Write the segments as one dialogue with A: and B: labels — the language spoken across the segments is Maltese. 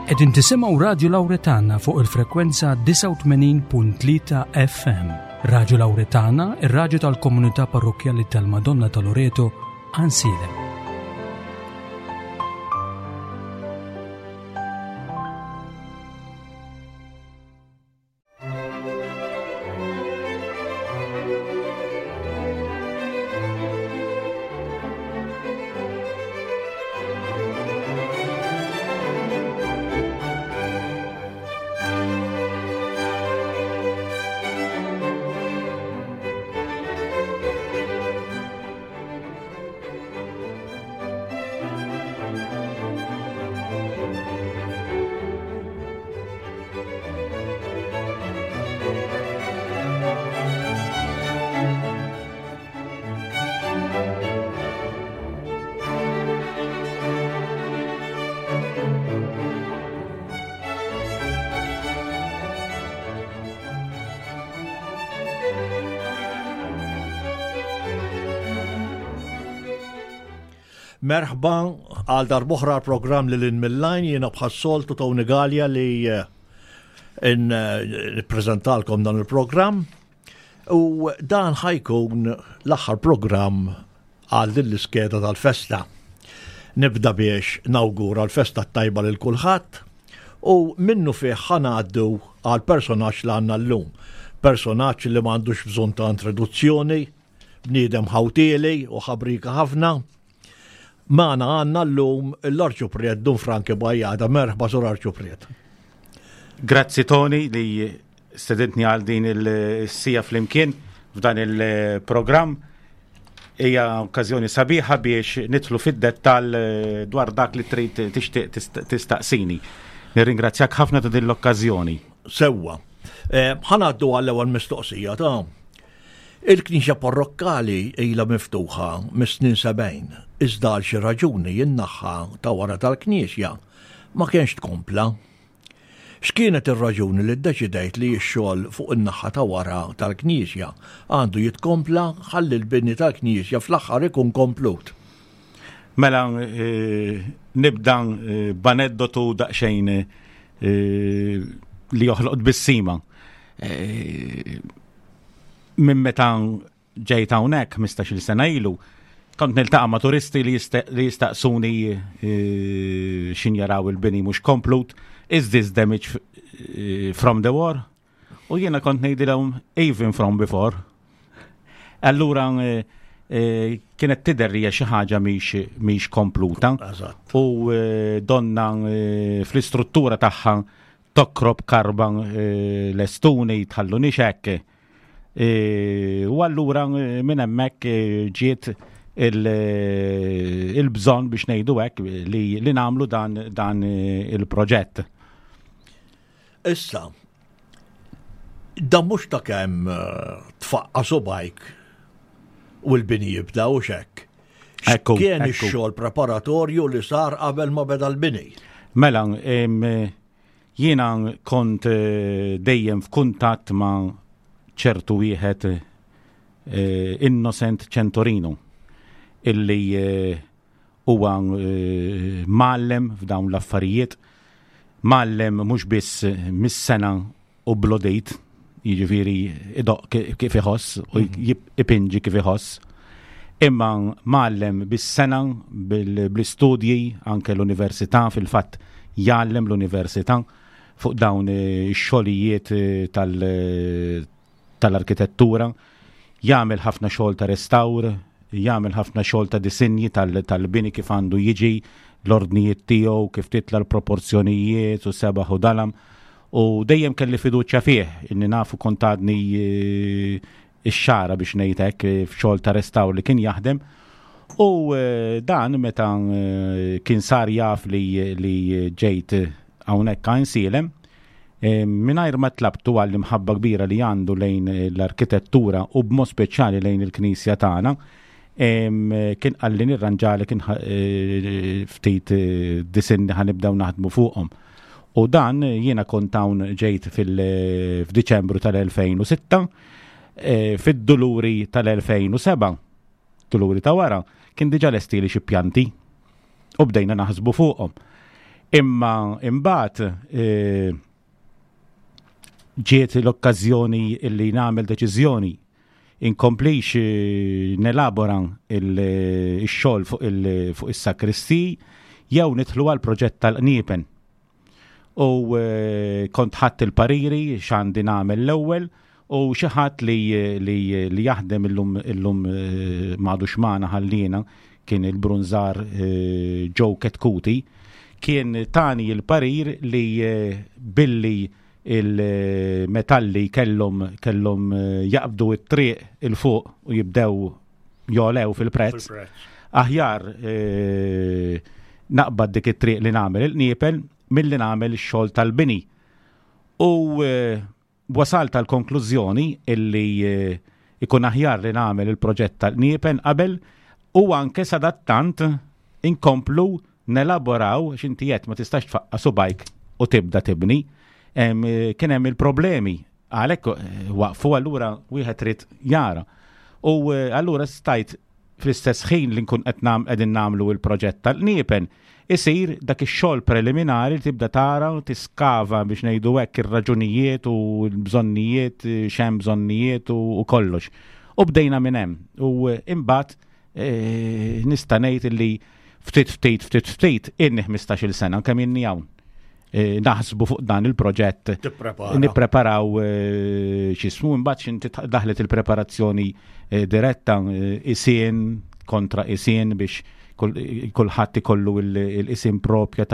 A: Qegħdin tisimgħu Radju Lawretana fuq il-frekwenza 89.3 FM. Radju Lawretana, ir-radju tal-komunità parrokkjali tal-Madonna ta' Loreto, Ansilem.
B: Merħba għal darboħra l-programm li l-in mill-lajn jiena bħas-soltu Tony Gallia li eh, nippreżentalkom dan il-programm u dan ħajkun l-aħħar programm għal din l-iskeda tal-festa. Nibda biex nawgura l-festa tajba lil kulħadd u minnu fih ħanaddu għal personaġġ li għandna llum. Personaġġ li m'għandux bżonn ta' introduzzjoni, bniedem ħawtieli u ħabrika ħafna. Magħna għandna llum l-Arċupriet Dun Franki Bajjada. Merħba sur Arċupriet.
C: Grazzi Tony li stedintni għal din il-sija flimkien f'dan il-programm. Hija okkażjoni sabiħa biex nidħlu fid-dettall eh, dwar dak li trid tixtieq tistaqsini. Nirringrazzjak ħafna ta' din l-okkażjoni.
B: Sewwa. Eh, ħanaddu għall-ewwel mistoqsija ta' Il-knisja parrokkali ilha miftuħa mis-snin 70, iżda għal xi raġuni n-naħa ta' wara tal-knisja ma kienx tkompla. X'kienet ir-raġuni li ddeċidejt li x-xogħol fuq in-naħa ta' wara tal-knisja għandu jitkompla ħalli l-bini tal-knisja fl-aħħar ikun komplut?
C: Mela nibda b'aneddotu daqsxejn li joħloq tbissima. Minn meta ġejt hawnhekk 15-il sena ilu, kont niltaqa' ma' turisti li jistaqsuni eh, xin jaraw il-bini mhux komplut, is this damage eh, from the war? U jiena kont ngħidilhom even from before. Allura eh, kienet tidher li hija xi ħaġa mhix kompluta. U donna fl-istruttura tagħha Tokrob karba lestuni tħallunix hekk. U allura minn hemmhekk ġiet il-bżonn biex ngħidu hekk li nagħmlu dan il-proġett.
B: Issa, dan mhux ta' kemm tfaqqa' subgħajk u l-bini jibda u x'hekk. Kien ix-xogħol preparatorju li sar qabel ma beda l-bini.
C: Mela, jiena kont eh, dejjem f'kuntatt ma' ċertu wieħed eh, Innocent Centorino illi eh, huwa mgħallem f'dawn l-affarijiet, mgħallem mhux biss mis-sena u blodejt, jiġifieri idoqq kif iħoss u mhm. ipinġi kif iħoss. Imma mgħallem bis-sena bl-istudji anke l-università fil-fatt jgħallem l-università fuq dawn ix-xogħlijiet tal- tal-arkitettura, jagħmel ħafna xogħol ta' restawr, jagħmel ħafna xogħol ta' disinji tal-bini kif għandu jiġi, l-ordnijiet tiegħu, kif titla l-proporzjonijiet u sebaħ u dalam. U dejjem kelli fiduċja fih, inni nafu kont għadni eh, ix-xara biex ngħid hekk eh, f'xogħol ta' restawr li kien jaħdem. U eh, dan meta kien sar jaf li, li ġejt hawnhekk għajn sielem, Mingħajr ma tlabtu għall-imħabba kbira li għandu lejn l-arkitettura u b'mod speċjali lejn il-knisja tagħna, kien qalli nirranġalek ftit disinni ħa nibdew naħdmu fuqhom. U dan jiena kont hawn ġejt fil-Diċembru tal-2006, fid-Duluri tal-2007, Duluri ta' wara, kien diġà lestieli xi pjanti u bdejna naħsbu fuqhom. Imma imbagħad ġiet l-okkażjoni illi nagħmel deċiżjoni inkomplix nelabora il-xogħol fuq is-sakristi jew nidħlu għal proġett tal-qniepen. U kont ħadd il-pariri x'għandi nagħmel l-ewwel u xi ħadd li, li, li jaħdem illum illum m'għadux magħna ħallina kien il-brunżar Joe Ketkuti kien tani il-parir li billi il-metalli kellhom kellhom jaqbdu it-triq il fuq u jibdew jolew fil-prezz. Aħjar naqbad dik it-triq li nagħmel il-qniepel milli nagħmel ix-xogħol tal-bini. U wasalt tal-konklużjoni illi ikun aħjar li nagħmel il-proġett tal-qniepen qabel u anke sadattant inkomplu nelaboraw x'inti qed ma tistax tfaqqa subajk u tibda tibni. Kien hemm il-problemi għalhekk eh, waqfu allura wieħed trid jara. U eh, allura stajt fl-istess ħin li nkun qed qegħdin nagħmlu l-proġett tal-qniepen, isir dak ix-xogħol preliminari li tibda tara u tiskava biex ngħidu hekk ir-raġunijiet u l-bżonnijiet, x'hemm bżonnijiet u kollox. U bdejna minn hemm. U eh, imbagħad eh, nista' ngħid li ftit ftit ftit ftit inni 15-il sena kemm inni hawn. Eh, naħsbu fuq dan il-proġett. Nippreparaw eh, x'ismu imbagħad x'inti daħlet il-preparazzjoni eh, diretta isien kontra isien biex kulħadd ikollu l-isim propja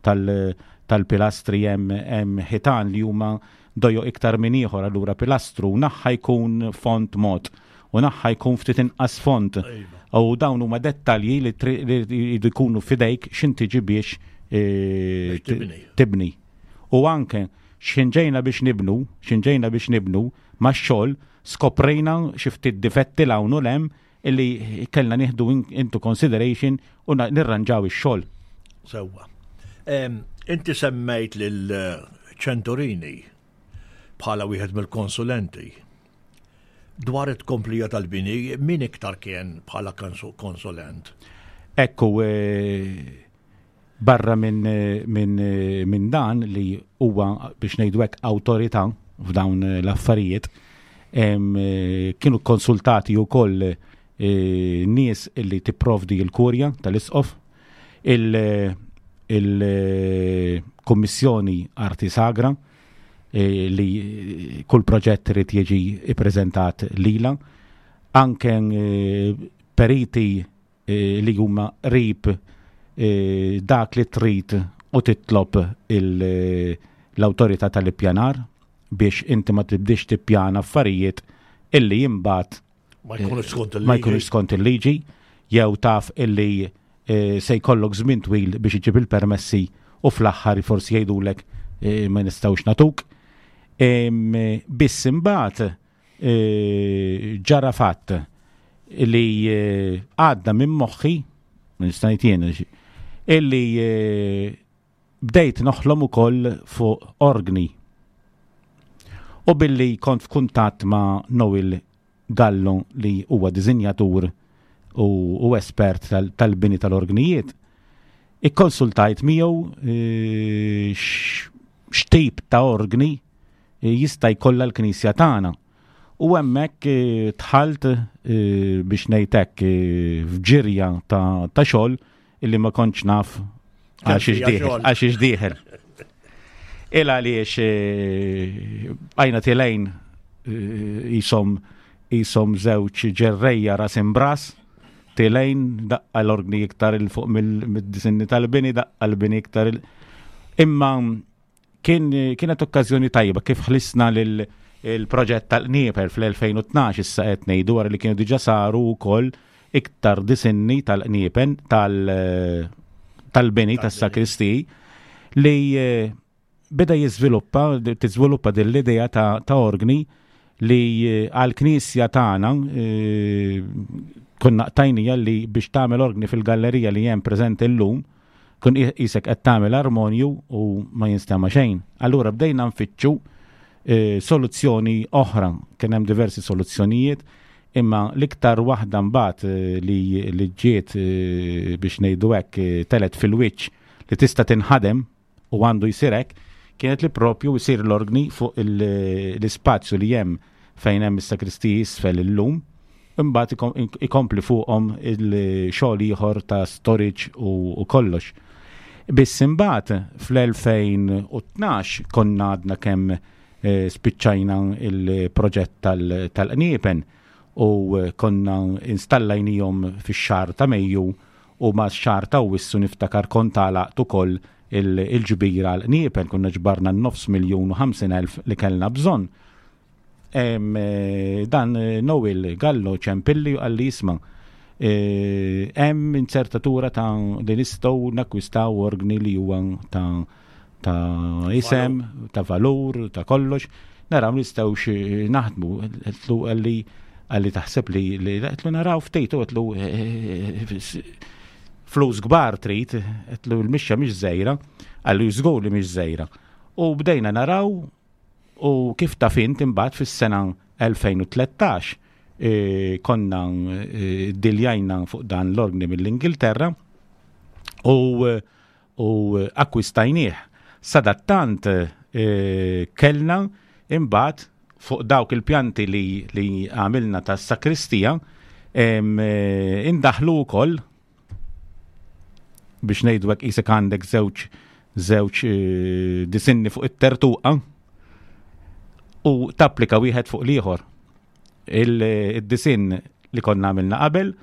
C: tal-pilastri hemm ħitan li huma dojo iktar minn ieħor allura pilastru naħħa jkun font mod u naħħa jkun ftit inqas font. Iva. U dawn huma dettalji li jridu jkunu fidejk x'intiġi biex e, tibni. U anke x'inġejna biex nibnu, x'inġejna biex nibnu ma' xogħol skoprejna xi ftit difetti l hawn u lem illi kellna nieħdu into consideration u nirranġaw ix-xogħol.
B: Sewwa. Inti semmejt lil Ċentorini bħala wieħed mill-konsulenti. Dwar it-tkomplija tal-bini, min iktar kien bħala konsulent?
C: Ekku, eh, barra minn min, min dan li huwa biex ngħidu hekk awtorità f'dawn l-affarijiet, kienu konsultati wkoll eh, nies li tipprovdi l-kurja tal-isqof, il-Kummissjoni Arti Sagra, eh, li kull proġett irid jiġi ippreżentat lila, anke eh, periti eh, li huma qrib dak li trid u titlob l-awtorità tal-ippjanar biex inti ma tibdix tippjana affarijiet illi imbagħad
B: ma jkunux skont il-liġi.
C: Ma jkunux skont il-liġi, jew taf illi eh, se jkollok żmien twil biex iġib il-permessi u fl-aħħar forsi jgħidulek eh, ma nistgħux natuk. Biss imbagħad eh, ġara fatt li għadda minn moħħi, nista' ngħid jien, illi Bdejt noħlom ukoll fuq orgni. U billi kont f'kuntatt ma' Noel Gallo li huwa diżinjatur u, u espert tal-bini tal tal-orgnijiet, ikkonsultajt miegħu eh, x'tip ta' orgni eh, jista' jkollha l-Knisja tagħna. U hemmhekk eh, dħalt biex ngħid hekk f'ġirja ta', ta xogħol illi ma kontx naf għax dieħel. Il għaliex eh, għajna tilejn eh, jisom jisom żewġ ġerrejja ras imbras, tilejn daqqa l-orgni iktar il fuq mid-disinni tal-bini, daqqa l-bini iktar il. Imma Kien, kienet okkażjoni tajba kif ħlisna lil il-proġett tal-qnieper fl-2012 issa qed ngħidu wara li kienu diġà saru wkoll iktar disinni tal-qniepen tal-bini tas-sakristi li eh, beda jiżviluppa tiżviluppa din l-idea ta', ta organi li eh, għall-knisja tagħna eh, konna qtajnija li biex tagħmel organi fil-gallerija li hemm preżenti llum Tkun qisek qed tagħmel armonju u ma jinstema' xejn. Allura bdejna nfittxu eh, soluzzjoni oħra. Kien hemm diversi soluzzjonijiet, imma l-iktar waħda mbagħad eh, li, li ġiet eh, biex ngħidu hekk telet fil-wiċċ li tista' tinħadem u għandu jsir hekk, kienet li propju jsir l-orgni fuq l-ispazju li hemm fejn hemm is-sakristiji isfel illum, imbagħad ikompli fuqhom il-xogħol ieħor ta' storage u kollox. Biss imbagħad fl-2012 konna għadna kemm eh, spiċċajna il-proġett tal-qniepen u konna installajnihom fix-xahar ta' Mejju u max-xahar ta' Awwissu niftakar kont għalaqt ukoll il-ġbira għall-qniepen, konna ġbarna n-nofs miljun u 50,000 li kellna bżonn. Dan Noel Gallo ċempilli u qalli isma' hemm inzertatura ta' li nistgħu nakkwistaw orgni li huwa ta' ta' isem, ta' valur, ta' kollox, naraw nistgħux naħdmu. Għedtlu għalli għalli taħseb li għedtlu naraw ftit u għedtlu flus kbar trid, għedtlu l-mixja mhix żgħira, għalli żgur li mhix żgħira. U bdejna naraw u kif taf int imbagħad fis-sena 2013 konna diljajna fuq dan l-orgni mill-Ingilterra u u akkwistajnieh. Sadattant kellna imbagħad fuq dawk il-pjanti li, li għamilna tas-sakristija indaħlu wkoll biex ngħidu hekk qisek għandek żewġ żewġ disinni fuq it-tertuqa u tapplika wieħed fuq l-ieħor. Il-disinn li konna għamilna qabel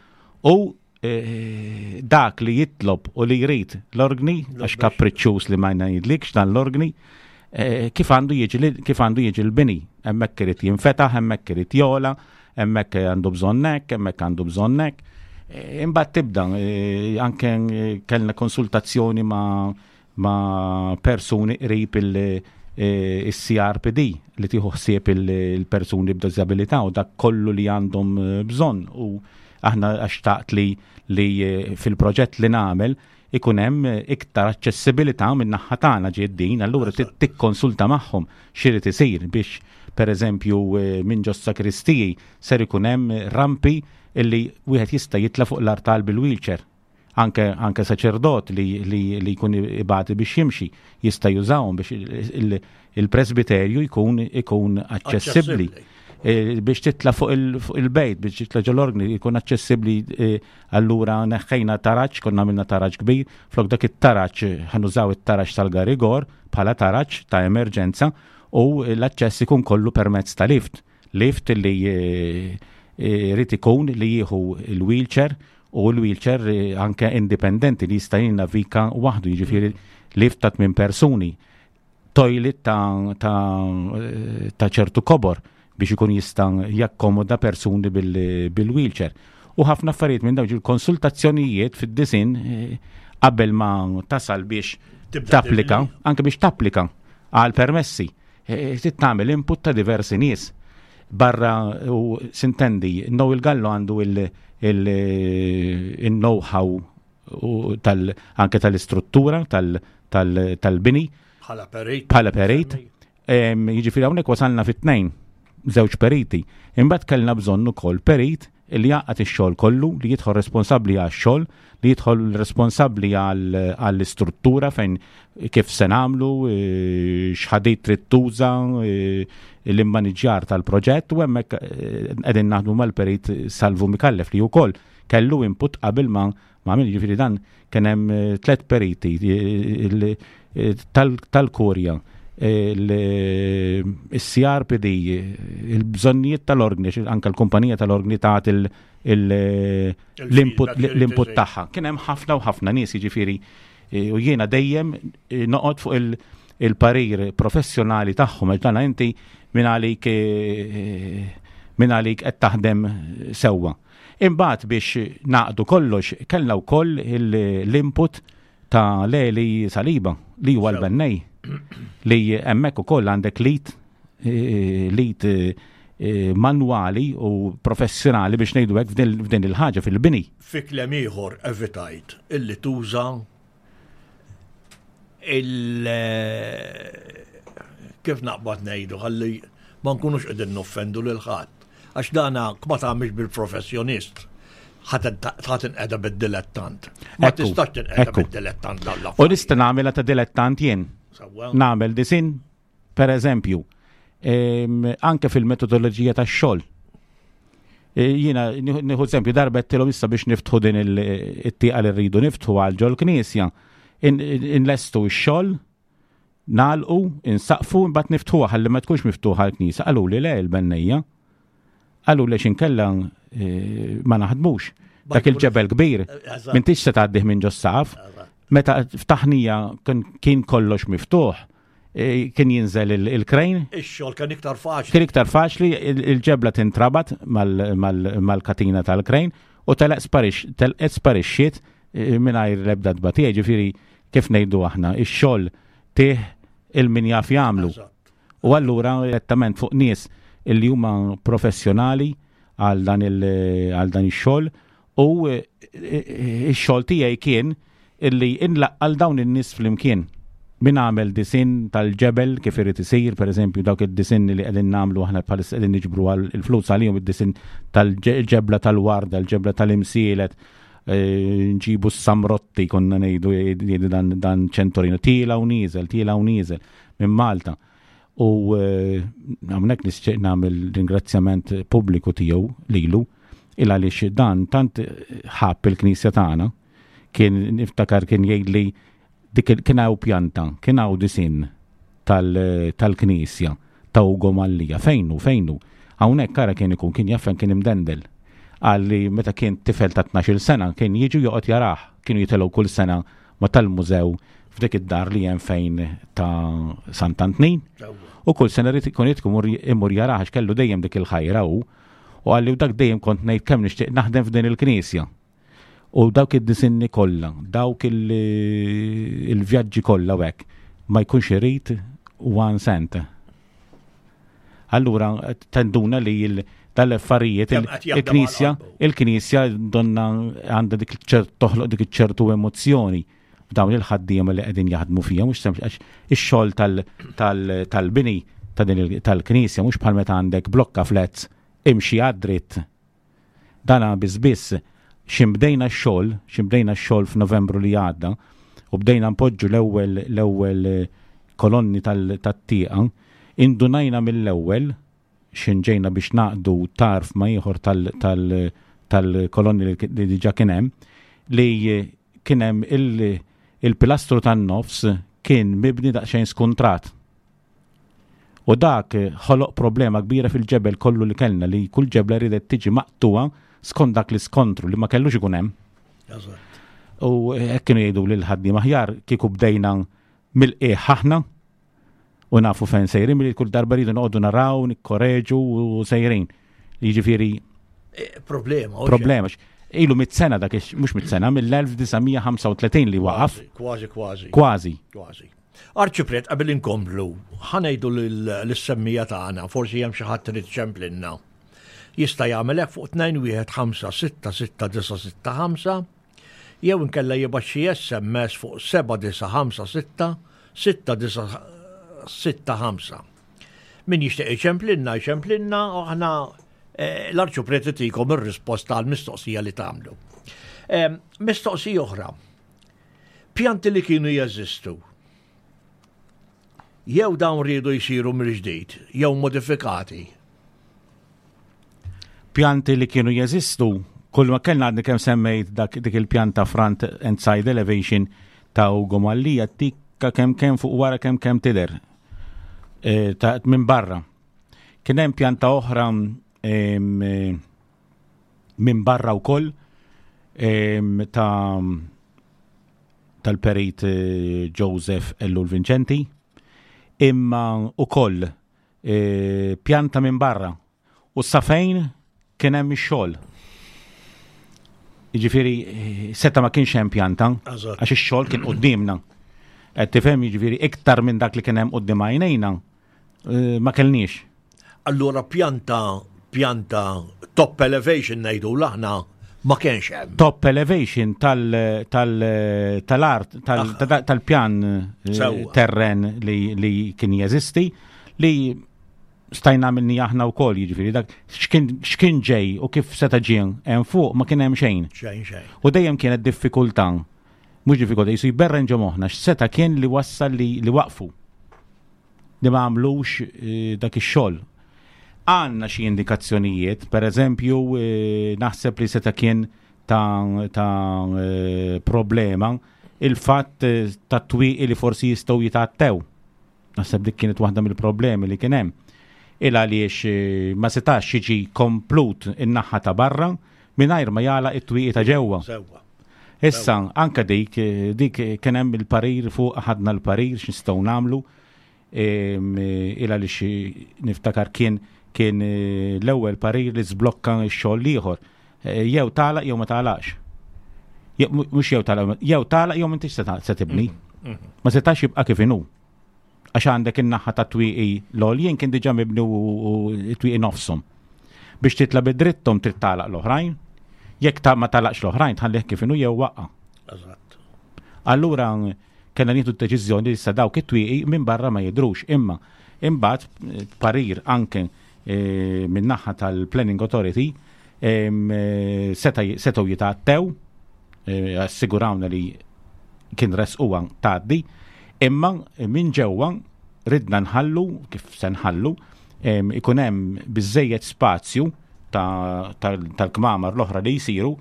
C: u Eh, dak li jitlob u li jrid l-orgni, għax kapriċċuż li ma ngħidlikx dan l-orgni, eh, kif għandu jiġi kif għandu jiġi l-bini. Hemmhekk irid jinfetaħ, hemmhekk irid jola, hemmhekk għandu bżonn hekk, hemmhekk għandu bżonn hekk. Eh, imbagħad tibda anke kellna konsultazzjoni ma' ma' persuni qrib il-CRPD eh, li tieħu ħsieb il-persuni b'diżabilità u dak kollu li għandhom eh, bżonn u aħna xtaqt li li eh, fil-proġett li nagħmel ikun hemm iktar aċċessibilità minn naħa tagħna ġiet din, allura tikkonsulta magħhom x'irid isir biex pereżempju minn ġos sakristiji ser ikun hemm rampi illi wieħed jista' jitla' fuq l-artal bil-wheelchair. Anke, anke saċerdot li, li, li jkun ibati biex jimxi jista' jużahom biex il-presbiterju jkun ikun aċċessibbli. E, biex titla fuq il-bejt, biex titla ġol-orgni jkun aċċessibbli e, allura neħħejna taraġ, konna għamilna taraġ kbir, flok dak it-taraġ ħanużaw it-taraġ tal-garigor bħala taraġ ta' emerġenza u l-aċċess ikun kollu permezz ta' lift. Lift li jrid ikun li jieħu l-wheelchair u l-wheelchair eh, anke indipendenti li jista' jinnavika waħdu, jiġifieri lift ta' tmien persuni, toilet ta', ta, eh, ta ċertu kobor biex ikun jista' jakkomoda persuni bil-wheelchair. U ħafna affarijiet minn dawn il-konsultazzjonijiet fid-disin eh, qabel ma tasal biex tapplika, anke biex tapplika għal permessi. Eh, trid tagħmel input ta' diversi nies. Barra u sintendi, Noel Gallo għandu il-know-how tal, anke tal-istruttura tal-bini.
B: Bħala perit.
C: Bħala perit. Jiġifieri hawnhekk wasalna fit-tnejn, żewġ periti. Imbagħad kellna bżonn ukoll perit li jgħaqqad ix-xogħol kollu, li jidħol responsabbli għax-xogħol, li jidħol responsabbli għall-istruttura fejn kif se nagħmlu, eh, x'ħadid trid tuża, eh, l-immaniġġjar tal-proġett u hemmhekk eh, qegħdin naħdmu mal-perit Salvu Mikallef li wkoll kellu input qabel ma ma għamil ġifieri dan kien hemm eh, tlet periti eh, eh, tal-kurja il-CRPD, il-bżonnijiet tal-orgni, anka l-kumpanija tal-orgni taħt l-input tagħha. Kien hemm ħafna u ħafna nies jiġifieri u jiena dejjem noqgħod fuq il-parir professjonali tagħhom għax dan inti minn għalik minn għalik qed taħdem sewwa. Imbagħad biex naqdu kollox kellna wkoll l-input ta' Leli Saliba li huwa l-bennej li hemmhekk ukoll għandek lit eh, lit eh, manwali u professjonali biex ngħidu hekk f'din il-ħaġa fil-bini.
B: Fi kliem ieħor evitajt illi tuża il kif naqbad ngħidu ħalli ma nkunux qegħdin noffendu lil ħadd. Għax dana ma tagħmilx bil-professjonist. Ħa tinqeda bid-dilettant. Ma tistax tinqeda bid-dilettant
C: dan U nista' nagħmilha ta' dilettant jien. Nagħmel disin, per eżempju, anke fil-metodoloġija tax-xogħol. E, jiena nieħu eżempju darba tilhom issa biex niftħu din it-tieqa li rridu niftħu għal ġol knisja. Inlestu x-xogħol, nagħlqu, insaqfu, imbagħad niftħuha ħalli ma tkunx miftuħa l-knisja. Qaluli le il-bennejja. Qalu li xinkella eh, ma naħdmux. Dak il-ġebel kbir, m'intix se tgħaddih minn ġos-saqaf. Meta ftaħnija kien kollox miftuħ, eh, kien jinżel il-krejn.
B: Ix-xogħol kien iktar faċli.
C: Kien iktar faċli, il-ġebla tintrabat mal-katina tal-krejn u telaq sparixxiet eh, mingħajr l-ebda tbatija, ġifieri kif ngħidu aħna, ix-xogħol tih il-min jaf jagħmlu. U allura direttament fuq nies illi huma professjonali għal dan ix-xogħol u e, e, ix-xogħol tiegħi kien illi inlaqqal dawn in-nies flimkien. Min għamel disin tal-ġebel kif irid isir, per eżempju, dawk id-disin li qegħdin nagħmlu aħna bħalissa qegħdin niġbru għal il-flus għalihom id-disin tal-ġebla tal-warda, l-ġebla tal-imsielet, e, nġibu s-samrotti konna ngħidu jgħidu dan, dan ċentorino, tiela u nieżel, tiela u nieżel. minn Malta. U eh, hawnhekk nixtieq nagħmel ringrazzjament pubbliku tiegħu lilu il għaliex dan tant ħabb il-knisja tagħna kien niftakar kien jgħidli dik kien hawn pjanta, kien hawn disin tal-knisja ta' Ugo Mallia. Fejnu, fejnu. Hawnhekk ara kien ikun kien jaffen kien imdendel. Għalli meta kien tifel ta' 12 sena kien jiġu joqgħod jarah, kienu jitilgħu kull sena ma tal-mużew f'dik id-dar li hemm fejn ta' Sant'Antnin. U kull sena rrid ikun imur jarah għax kellu dejjem dik il-ħajra hu. U qalli u dak dejjem kont ngħid kemm nixtieq naħdem f'din il-knisja. U dawk id-disinni kollha, dawk il-vjaġġi kollha u hekk, ma jkunx irid one cent. Allura tenduna li tal-affarijiet il-knisja, il-knisja donna għandha dik toħloq dik ċertu emozzjoni f'dawn il-ħaddiema li qegħdin jaħdmu fija, mhux sempliċi għax ix-xogħol tal-bini ta' din tal-knisja mhux bħal meta għandek blokka flats imxi għad-dritt Dana biss biss x'in bdejna x-xogħol, x'in bdejna x-xogħol f'Novembru li għadda u bdejna npoġġu l-ewwel l-ewwel kolonni tat-tieqa, indunajna mill-ewwel x'in ġejna biex nagħqdu tarf ma' ieħor tal-kolonni li diġà kien hemm, li kien hemm il-pilastru tan-nofs kien mibni daqsxejn skuntrat. U dak ħoloq problema kbira fil-ġebel kollu li kellna li kull ġebla riedet tiġi maqtugħa skont dak l-iskontru li ma kellux ikun hemm. U hekk kienu jgħidu lil ħaddiem aħjar kieku bdejna mill-qiegħ aħna u nafu fejn sejrin milli kull darba rridu noqogħdu naraw, nikkoreġu u sejrin. Jiġifieri
B: eh, problema.
C: Problema. Ilu mit sena dak mhux mit sena mill-1935 li waqaf.
B: Kważi, kważi.
C: Kważi.
B: Kważi. Arċipriet, qabel inkomplu, ħa ngħidu lis-semmija tagħna, forsi hemm xi ħadd irid iċemplinna. Jista' jagħmel hekk fuq 2156665 jew inkella jibgħat xi SMS fuq 7956 6965. Min jixtieq iċemplinna, iċemplinna u aħna eh, l-arċipriet itikom ir-risposta għall-mistoqsija li tagħmlu. Eh, mistoqsija oħra. Pjanti li kienu jeżistu. Jew dawn riedu jsiru mill-ġdid, jew modifikati.
C: Pjanti li kienu jeżistu, kull ma kellna għadni kemm semmejt dak dik il-pjanta front and side elevation ta' Ugo Mallia tikka kemm kemm fuq wara kemm kemm tidher e, ta' minn barra. Kien hemm pjanta oħra e, minn barra wkoll ta' tal-perit eh, Joseph Ellul Vincenti, imma ukoll eh, pjanta minn barra u safejn kien hemm ix-xogħol. Jiġifieri eh, seta ma kienx hemm pjanta għax ix-xogħol kien quddiemna. Qed tifhem jiġifieri iktar minn dak li kien hemm quddiem għajnejna Eh, ma kellniex.
B: Allura pjanta pjanta top elevation ngħidu l-aħna ma kienx hemm.
C: Top elevation tal-art, tal-pjan eh, terren li kien jeżisti li Stajna għamilni aħna wkoll, jiġifieri dak x'kien ġej u kif seta' ġie hemm fuq ma kien hemm xejn.
B: Xejn xejn.
C: U dejjem kienet diffikultà. Mhux diffikultà, jisu jberren ġo moħħna x'seta' kien li wassal li, li waqfu. Li ma għamlux eh, dak ix-xogħol. Għandna xi indikazzjonijiet, per eżempju, eh, naħseb li seta' kien ta', ta eh, problema il-fatt ta' twieqi li forsi jistgħu jitgħattew. Naħseb dik kienet waħda mill-problemi li kien hemm. Il għaliex eh, ma setax jiġi komplut in-naħa ta' barra mingħajr ma jagħlaq it-twieqi ta' ġewwa. Issa, anka dik, eh, dik kien hemm il-parir fuq ħadna l-parir x'nistgħu nagħmlu. Eh, il għaliex niftakar kien kien l-ewwel parir li żblokka x-xogħol ieħor. Jew tagħlaq jew ma tagħlaqx. Mhux jew tagħlaq, jew tagħlaq jew m'intix se tibni. Mhm, mhm. Ma setax jibqa' kif inhu. Għax għandek in-naħa ta' twieqi l-għoljien kien diġà mibni u twieqi nofshom. Biex titla' bid-drittom trid tagħlaq l-oħrajn. Jekk ta' ma tagħlaqx l-oħrajn tħallih kif inhu jew waqqa'.
B: Eżatt.
C: Allura kellna nieħdu d-deċiżjoni li sa dawk it-twieqi minn barra ma jidhrux imma imbagħad eh, parir anke eh, minn naħa tal-Planning Authority eh, setgħu jitgħattew assigurawna li kien resquha tgħaddi, imma minn ġewwa ridna nħallu kif se nħallu ikun hemm biżejjed spazju tal-kmamar l-oħra li jsiru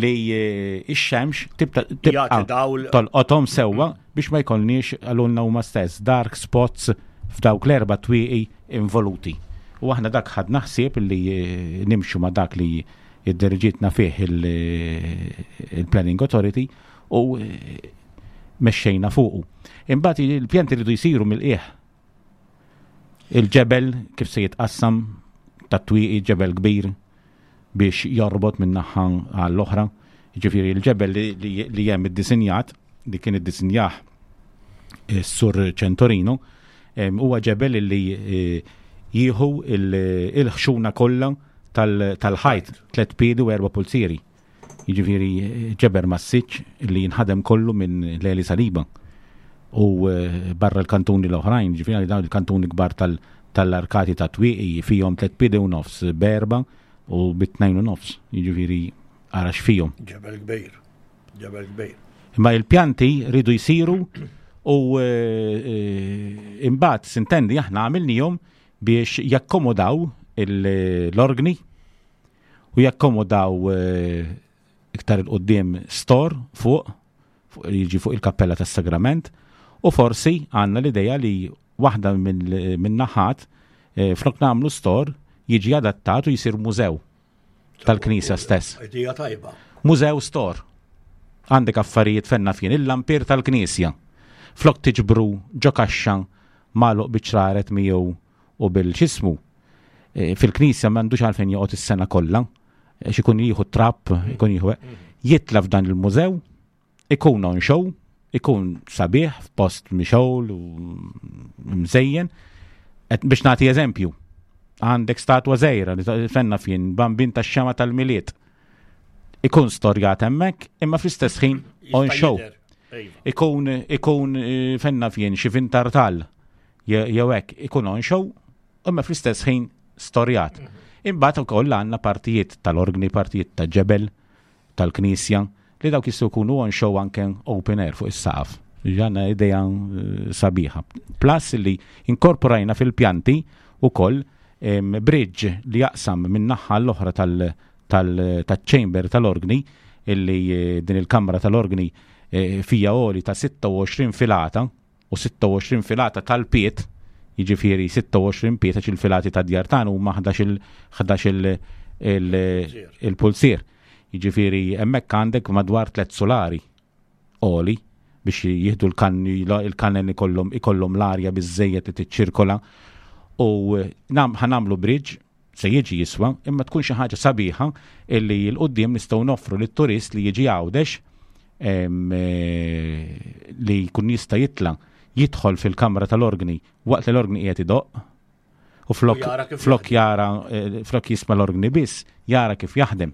C: li eh, x-xemx tibqa' tolqothom sewwa biex ma jkollniex għalulna huma stess dark spots f'dawk l-erba' twieqi involuti. U aħna dak ħadna ħsieb li eh, nimxu ma' dak li id-diriġitna fih il-Planning Authority u eh, mexxejna fuqu. Imbagħad il-pjanti rridu jsiru mill-qiegħ. Il-ġebel kif se jitqassam tat-twieqi ġebel kbir biex jorbot minn naħa għall-oħra. Jiġifieri l-ġebel li hemm iddisinjat, li kien iddisinjah is-Sur Centorino, huwa ġebel li eh, jieħu il-ħxuna kollha tal-ħajt, tlet piedi u erba' pulzieri. Jiġifieri ġeber massiċ li jinħadem kollu minn Leli Saliba u eh, barra l-kantuni l-oħrajn, ġifieri dawn il-kantuni kbar tal-arkati ta' twieqi fihom tlet piedi u nofs berba u bit-tnejn u nofs, jiġifieri ara x'fihom.
B: Ġebel kbir, ġebel kbir.
C: Imma il-pjanti ridu jsiru u eh, eh, imbagħad sintendi aħna għamilnihom biex jakkomodaw l-organi u jakkomodaw eh, iktar il-qoddim store fuq, fuq jiġi fuq il-kappella tas-sagrament u forsi għandna l-idea li waħda minn naħat eh, flok nagħmlu store jiġi adattat u jisir mużew tal-knisja stess.
B: Idea tajba.
C: Mużew store. Għandek affarijiet fenna fien il-lampir tal-knisja. Flok tiġbru ġo kaxxa magħluq biċ-ċraret miegħu u bil-xismu. E, fil-knisja m'għandux għalfejn joqgħod is-sena kollha, għax ikun jieħu trap, ikun jieħu jitla f'dan il-mużew, ikun on show, ikun sabiħ f'post mixgħul u mżejjen. Biex nagħti eżempju, għandek statwa żgħira li fenna fien bambin tax-xema tal-miliet. Ikun storjat hemmhekk, imma fl-istess ħin on show.
B: Iva.
C: Ikun ikun eh, fenna fien xi vintartal jew hekk ikun on show, imma fl-istess ħin storjat. Mhm. Imbagħad ukoll għandna partijiet tal-organi, partijiet ta' ġebel, tal-knisja, li dawk jistgħu jkunu on show anke open air fuq is-saqaf. Għandna idea eh, sabiħa. Plus li inkorporajna fil-pjanti ukoll bridge li jaqsam minn naħa l-oħra tal-chamber tal-organi illi eh, din il-kamra tal-organi eh, fija oli ta' 26 filata u 26 filata tal-piet, jiġifieri 26 piet għax il-filati ta' djar tagħna huma 11 il-pulsier. Jiġifieri hemmhekk għandek madwar tliet sulari għoli biex jieħdu l-kanni il-kannen ikollhom ikollhom l-arja biżejjed li tiċċirkola u ħanamlu bridge se jiġi jiswa, imma tkun xi ħaġa sabiħa illi l quddiem nistgħu noffru lit-turist li jiġi Għawdex eh, li jkun jista' jitla' jidħol fil-kamra tal-organi waqt li l-organi qiegħed idoqq u flok flok jara eh, flok jisma' l-organi biss, jara kif jaħdem.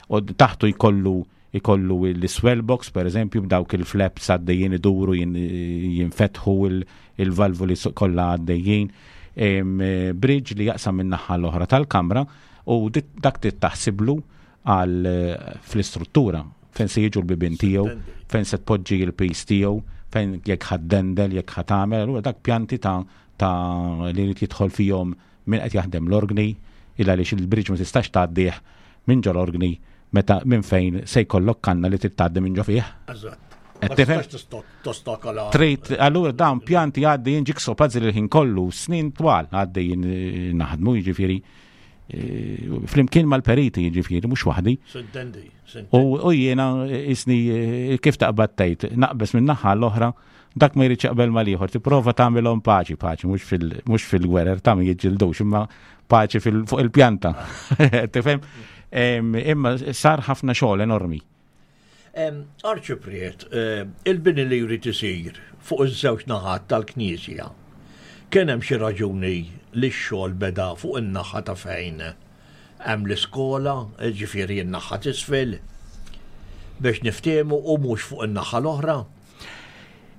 C: U taħtu jkollu ikollu l-swell box per eżempju b'dawk il-flaps għaddejjin iduru jinfetħu il-valvoli kollha għaddejjin. bridge li jaqsam minn naħa l-oħra tal-kamra u dak trid taħsiblu għal fl-istruttura fejn se jiġu l-bibien tiegħu, fejn se tpoġġi l-piż tiegħu, fejn jekk ħa ddendel, jekk ħa tagħmel, allura dak pjanti ta' ta' li jrid jidħol fihom min qed jaħdem l-orgni, il għaliex il-bridge ma tistax tgħaddih minn ġol orgni meta minn fejn se jkollok kanna li trid tgħaddi minn ġo fih.
B: Eżatt. Ma tistax tostakola.
C: Trid, allura dawn pjanti għaddejjin jigsaw puzzle il-ħin kollu, snin twal għaddejjin eh, naħdmu, jiġifieri eh, flimkien mal-periti jiġifieri, mhux waħdi.
B: Sintendi.
C: U jiena eh, isni kif taqbad tgħid, naqbes minn naħa l-oħra, dak ma jridx jaqbel mal-ieħor, tipprova tagħmilhom paċi, paċi, mhux fil-gwerer ta' ma jiġġildux, imma paċi fuq il-pjanta. Tifhem? Imma sar ħafna xogħol enormi.
B: Arċipriet, eh, il-bini li jrid isir fuq iż-żewġ naħat tal-Knisja, kien hemm xi raġuni li x-xogħol beda fuq in-naħa ta' fejn hemm l-iskola, ġifieri n-naħa t'isfel, biex niftehmu u mhux fuq in-naħa l-oħra?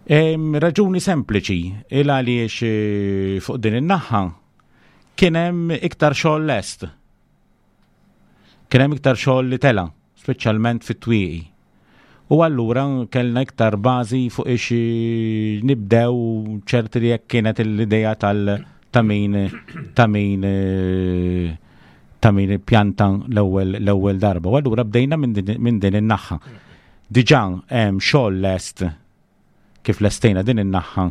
C: Raġuni sempliċi, il għaliex eh, fuq din in-naħa kien hemm iktar xogħol lest. Kien hemm iktar xogħol li tela, speċjalment fit-twieqi. U allura kellna iktar bażi fuq ix nibdew ċerti li jekk kienet l-idea tal ta' min ta' min ta' min pjanta l-ewwel l-ewwel darba. U allura bdejna minn din in-naħa. Diġà hemm xogħol lest Kif lestejna din in-naħa,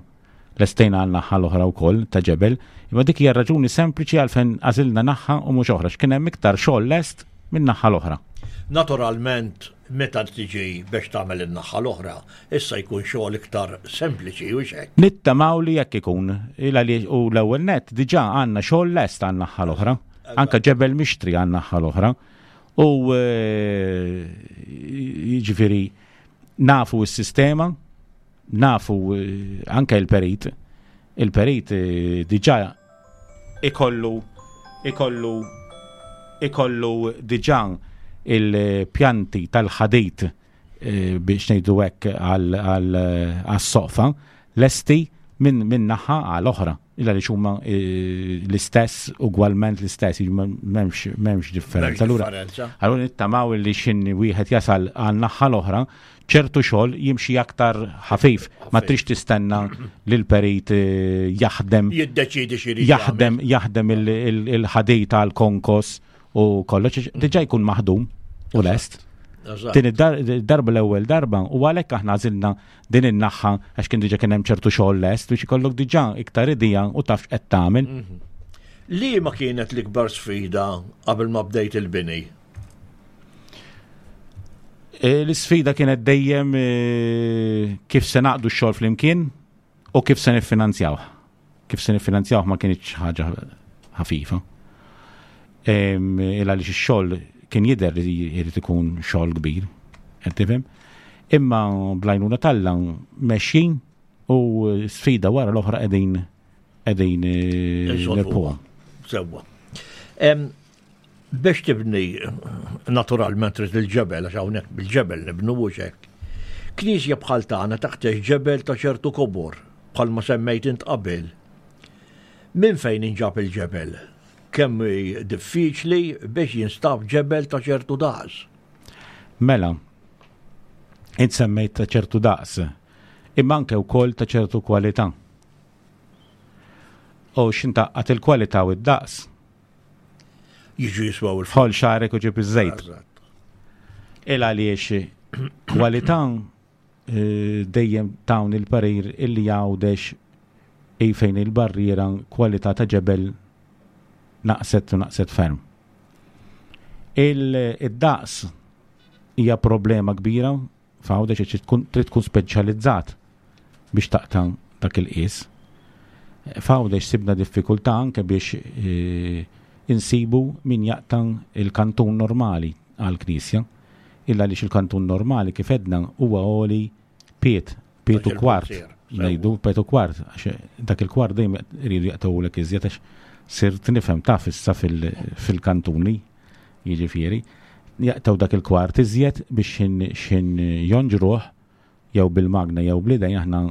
C: lestejna għan-naħa l-oħra wkoll ta' ġebel, imma dik hija raġuni sempliċi għalfejn għażilna naħa u mhux oħra, x'kien hemm iktar xogħol lest min-naħa l-oħra.
B: Naturalment, meta tiġi biex tagħmel in-naħa l-oħra, issa jkun xogħol iktar sempliċi, hux hekk?
C: Nittamaw li hekk ikun, il għaliex u l-ewwel nett diġà għandna xogħol lest għan-naħa l-oħra, anke ġebel mixtri għan-naħa l-oħra. U jiġifieri Nafu s-sistema, nafu eh, anke il-perit, il-perit eh, diġà ikollu ikollu ikollu diġà il-pjanti tal-ħadid eh, biex ngħidu hekk għas-soqfa lesti minn min naħa għal oħra. Illa li huma eh, l-istess, ugwalment l-istess, m'hemmx m'hemmx differenza. Allura allura nittamaw li xin wieħed jasal għal naħa l-oħra, ċertu xogħol jimxi aktar ħafif, ma trix tistenna li l-perit eh, jaħdem.
B: Jiddeċidi xi
C: Jaħdem jaħdem il-ħadid għal konkos u kollox, diġà jkun maħdum u lest. Din id-darba l-ewwel darba u għalhekk aħna għażilna din in-naħħa għax kien diġà kien hemm ċertu xogħol lest biex ikollok diġà iktar idea u taf x'qed tagħmel. Mhm.
B: Liema kienet l-ikbar sfida qabel ma bdejt il-bini?
C: E, l-isfida kienet dejjem e, kif se naqdu x-xogħol flimkien u kif se niffinanzjawh. Kif se niffinanzjawh ma kienx ħaġa ħafifa. Il għaliex ix-xogħol kien jidher li jrid ikun xogħol kbir, qed tifhem? Imma bl-għajnuna t'Alla mexjin u sfida wara l-oħra qegħdin qegħdin eh, nirbħuha.
B: Sewwa. Biex tibni naturalment trid il-ġebel għax hawnhekk bil-ġebel nibnu mhux hekk. Knisja bħal tagħna taħtieġ ġebel ta' ċertu kobor bħalma semmejt int qabel. Minn fejn inġab il-ġebel? Kemm hi diffiċli biex jinstab ġebel ta' ċertu daqs?
C: Mela, int semmejt ta' ċertu daqs, imma anke wkoll ta' ċertu kwalità. U x'intaqqat il-kwalità u d-daqs?
B: Jiġu jiswaw
C: il Ħol xarek u ġib iż-żejt. Il għaliex kwalità eh, dejjem tawn il-parir illi jgħawdex i fejn il-barriera kwalità ta' ġebel naqset u naqset ferm. Il-daqs hija problema kbira F'Għawdex għax trid tkun speċjalizzat biex taqta' dak il-qies. F'Għawdex sibna diffikultà anke biex eh, insibu min jaqta' il-kantun normali għall-knisja. Illa għaliex il-kantun normali kif edna huwa għoli piet, piet u kwart. Ngħidu piet u kwart, għax dak il-kwart dejjem iridu jaqtgħulek iżjed għax sirt nifhem taf issa fil-kantuni. Jiġifieri, jaqtgħu dak il-kwart iżjed biex x'ħin jonġruh jew bil-magna jew bl-idejn aħna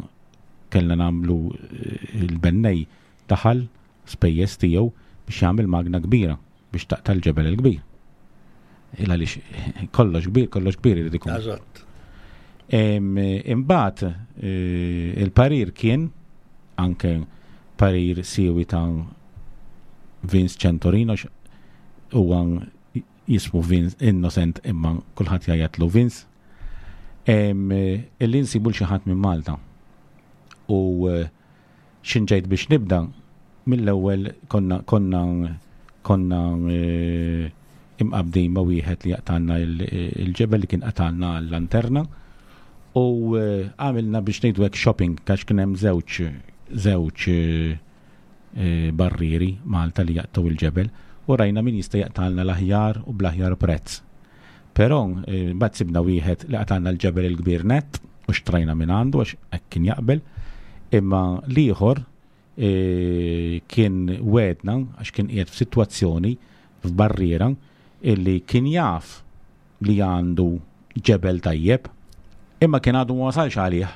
C: kellna nagħmlu eh, il-bennej daħal spejjeż tiegħu biex jagħmel magna kbira biex taqta' l-ġebel il-kbir. Il għaliex kollox kbir, kollox kbir irid ikun.
B: Eżatt.
C: Imbagħad eh, il-parir kien anke parir siwi ta' Vince Centorino huwa jismu Vince Innocent imma kulħadd jgħajjatlu Vince. Illi nsibu l xi ħadd minn Malta. U eh, xinġejt biex nibda mill-ewwel konna konna konna eh, imqabdin ma' wieħed li jaqtalna il-ġebel li kien qatalna l-lanterna u eh, għamilna biex ngħidu hekk shopping għax kien hemm żewġ żewġ barrieri Malta li jaqtgħu il-ġebel u rajna min jista' jaqtalna l-aħjar u bl-aħjar prezz. Però mbagħad sibna wieħed li qatgħalna l-ġebel il-kbir nett u xtrajna minn għandu għax hekk kien jaqbel. Imma l-ieħor kien wegħedna għax kien qiegħed f'sitwazzjoni f'barriera illi kien jaf li għandu ġebel tajjeb imma kien għadu ma wasalx għalih.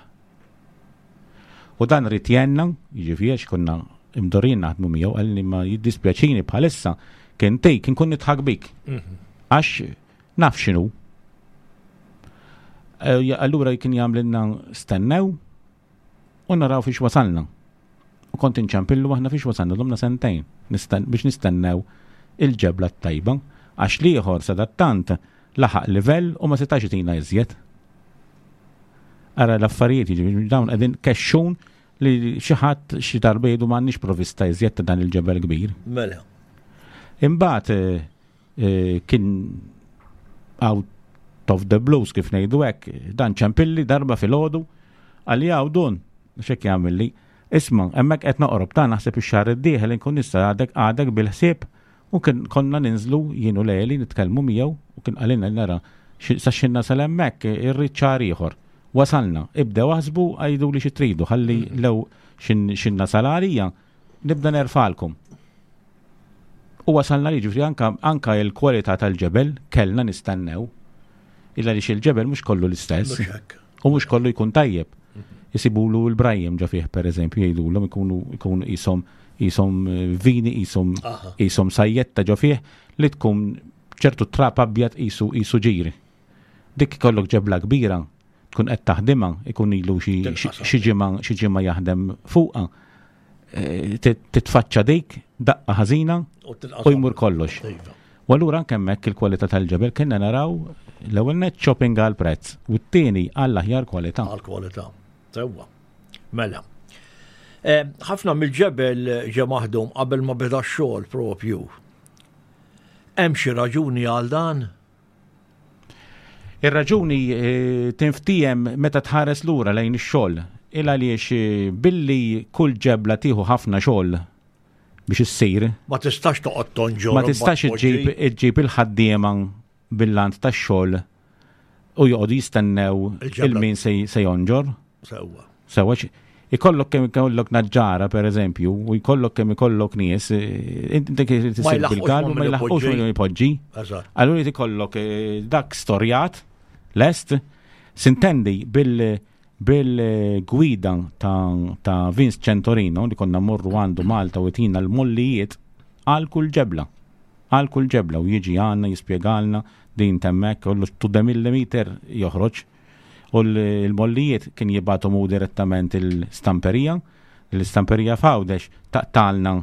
C: U dan ried jgħinna, jiġifieri għax konna imdorrijin naħdmu miegħu, qalli ma jiddispjaċini bħalissa kien tik inkun nidħak bik. Mhm. Għax naf x'inhu. Eh, allura kien jagħmlilna stennew u naraw fiex wasalna. U kont inċempillu aħna fiex wasalna domna sentejn biex nistennew il-ġebla t-tajba għax l-ieħor sadattant laħaq livell u ma setax itina iżjed. Ara l-affarijiet jiġifieri dawn qegħdin kexxun li xi ħadd xi darba jgħidu m'għandniex provista iżjed ta' dan il-ġebel kbir.
B: Mela.
C: Imbagħad eh, eh, kien out of the blues kif ngħidu hekk, dan ċempilli darba filgħodu għalli hawn dun x'hekk jagħmilli. Isma' hemmhekk qed noqrob ta' naħseb ix-xahar id-dieħel inkun nista' għadek għadek bil-ħsieb U kien konna ninżlu jien u Leli nitkellmu miegħu u kien qalilna li nara sa x'ħin nasal hemmhekk irrid xahar ieħor. Wasalna, ibdew aħsbu għiduli xi tridu ħalli lew x'in nasal għalija nibda nerfalkom. U wasalna li ġifri anka, anka il-kwalità tal-ġebel kellna nistennew. Illa li il-ġebel mhux kollu l-istess. U mhux kollu jkun tajjeb. Isibulu l-brajjem ġo fih pereżempju jgħidulhom ikunu ikunu qishom qishom eh, vini qishom qishom sajjetta ġo fih li tkun ċertu trab abjad qisu qisu ġiri. Dik ikollok ġebla kbira tkun qed taħdimha ikun ilu xi ġimgħa xi ġimgħa jaħdem fuqha. Eh, titfaċċa dik daqqa ħażina u jmur kollox. Iva. U allura anke hemmhekk il-kwalità tal-ġebel kienna naraw l-ewwel net shopping għal prezz u t-tieni għall aħjar kwalità.
B: Għal kwalità. Sewwa. Mela. Eh, ħafna mill-ġebel ġe maħdum qabel ma beda x-xogħol propju. Hemm xi raġuni għal dan?
C: Ir-raġuni eh, tinftiehem meta tħares lura lejn ix-xogħol. Il għaliex eh, billi kull ġebla tieħu ħafna xogħol biex issir.
B: Ma tistax toqgħod tonġor.
C: Ma tistax iġġib iġġib il-ħaddiema bil-lant tax-xogħol u joqogħdu jistennew il-min se jonġor.
B: Sewwa.
C: Sewwa ikollok kemm ikollok naġġara per eżempju, u jkollok kemm ikollok nies, eh, inti kif tisir bil-galbu ma jlaħqux ma jpoġġi. Allura jrid ikollok eh, dak storjat lest, sintendi bil bil-gwida ta', ta Vince Centorino li konna morru għandu Malta u jtina l-mollijiet għal kull ġebla. Għal kull ġebla u jiġi għandna jispjegalna din temmek, kollu to the millimeter joħroġ. U l-mollijiet kien jibgħathom hu direttament il-stamperija, l-istamperija f'Għawdex taqtalna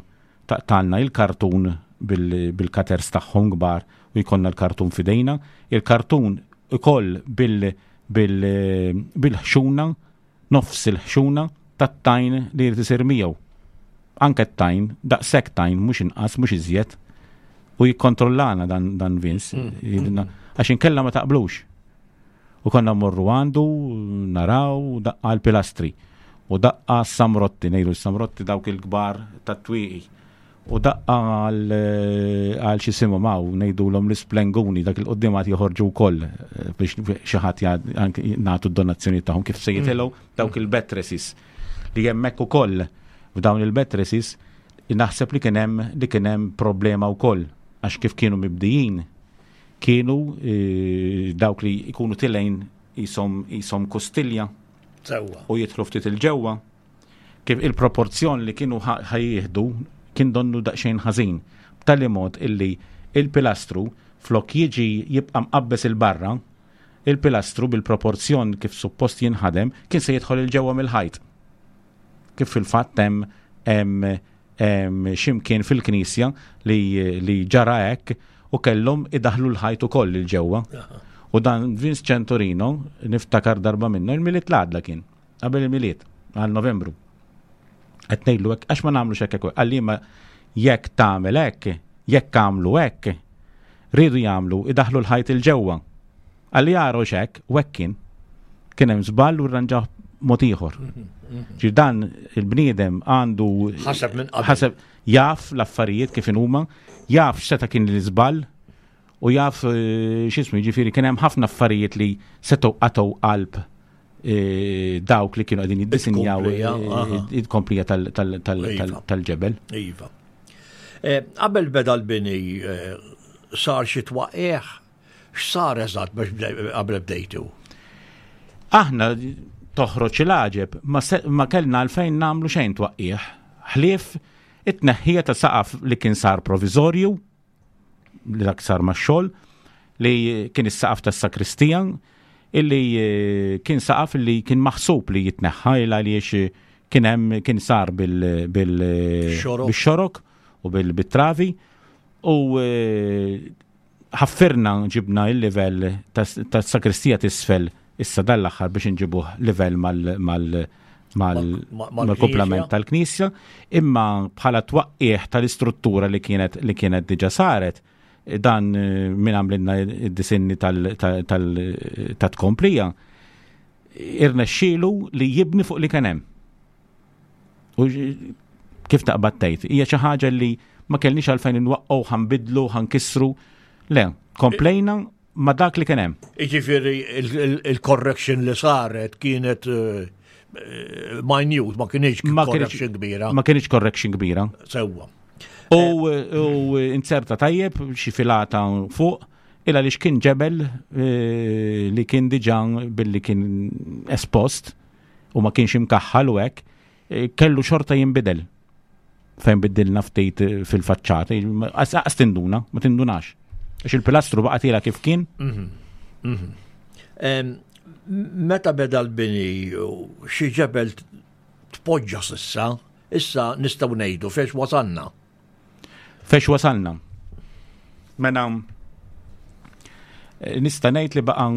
C: taqtalna il-kartun bil-cutters tagħhom kbar u jkollna l-kartun f'idejna, il-kartun ukoll bil-ħxuna, nofs il-ħxuna tat-tajn li jrid isir miegħu. Anke t-tajn, daqshekk tajn, mhux inqas, mhux iżjed. U jikkontrollana dan, dan Vince, mm. għax inkella ma taqblux. U konna mmorru għandu, naraw, daqqa l-pilastri. U daqqa samrotti, ngħidu samrotti dawk il-kbar tat-twieqi. U daqqa għal xi simhom hawn ngħidulhom l-isplenguni dak il-qudiem għad joħorġu wkoll eh, biex xi ħadd nagħtu d-donazzjoni tagħhom kif se jitilgħu mm. dawk il-bettresses li hemmhekk ukoll f'dawn il-bettresses naħseb li kien hemm li kien hemm problema wkoll għax kif kienu mibdijin kienu eh, dawk li jkunu tilejn jisom kustilja u jidħlu ftit il-ġewwa kif il-proporzjon li kienu ħajjieħdu kien donnu daqsxejn ħażin, b'tali mod illi il-pilastru flok jiġi jibqa' mqabbeż 'il barra, il-pilastru bil-proporzjon kif suppost jinħadem kien se jidħol 'il ġewwa mill-ħajt. Kif fil-fatt hemm hemm hemm x'imkien fil-knisja li li ġara hekk u kellhom idaħħlu l-ħajt ukoll 'il ġewwa. U dan Vince Centorino niftakar darba minnu il-Milied l-għadla kien. Qabel il-Milied, għal Novembru. Qed ngħidlu hekk għax ma nagħmlux hekk hekk. Qalli ma jekk tagħmel hekk, jekk għamlu hekk, riedu jagħmlu idaħlu l-ħajt il-ġewwa. Qalli għaru hekk, u hekk kien. Kien hemm żball u rranġaw mod ieħor. Ġi dan il-bniedem għandu
B: ħaseb minn qabel.
C: Ħaseb jaf l-affarijiet kif huma, jaf x'seta' kien l-iżball u jaf eh, x'ismu jiġifieri kien hemm ħafna affarijiet li setgħu qatgħu qalb E, dawk li kienu għadin jiddisinjaw il-komplija iva. tal-ġebel.
B: Iva. E, qabel beda l-bini e, sar xi twaqieħ, x'sar eżatt biex qabel bdejtu?
C: Aħna toħroġ il-għaġeb ma kellna għalfejn nagħmlu xejn twaqqieħ. Ħlief it-tneħħija ta' saqaf li kien sar provizorju li dak sar max-xogħol li kien is-saqaf tas-sakristija illi eh, kien saqaf li kien maħsub li jitneħħa il għaliex eh, kien hemm kien sar bil-xorok u bil-travi u eh, ħaffirna ġibna il-livell tas-sakristija t'isfel issa dan l-aħħar biex inġibuh livell mal-kumplament tal-knisja, imma bħala twaqqieħ tal-istruttura li kienet li kienet diġa saret, dan eh, min għamlilna id-disinni tal-tkomplija, irnexxielu li jibni fuq li kien hemm. U kif taqbad tgħid, hija xi ħaġa li ma kellniex għalfejn inwaqqgħu, ħanbidlu, ħankissru. Le, komplejna ma dak li kien hemm.
B: Jiġifieri il-correction li saret kienet eh, eh, minute, ma kienx correction kbira.
C: Ma kienx correction kbira.
B: Sewwa.
C: U eh, inserta tajjeb xi filata fuq illa li kien ġebel li kien diġà billi kien espost u ma kienx imkaħħal u hekk, eh, kellu xorta jinbidel. Fejn biddilna ftit eh, fil-faċċata, għas tinduna, ma tindunax. Għax il-pilastru baqa' tiela kif kien.
B: Mhm, mhm. Meta beda l-bini xi ġebel tpoġġa sissa, issa nistgħu ngħidu fex wasalna.
C: Fex wasalna. Mela eh, nista' ngħid li baqa'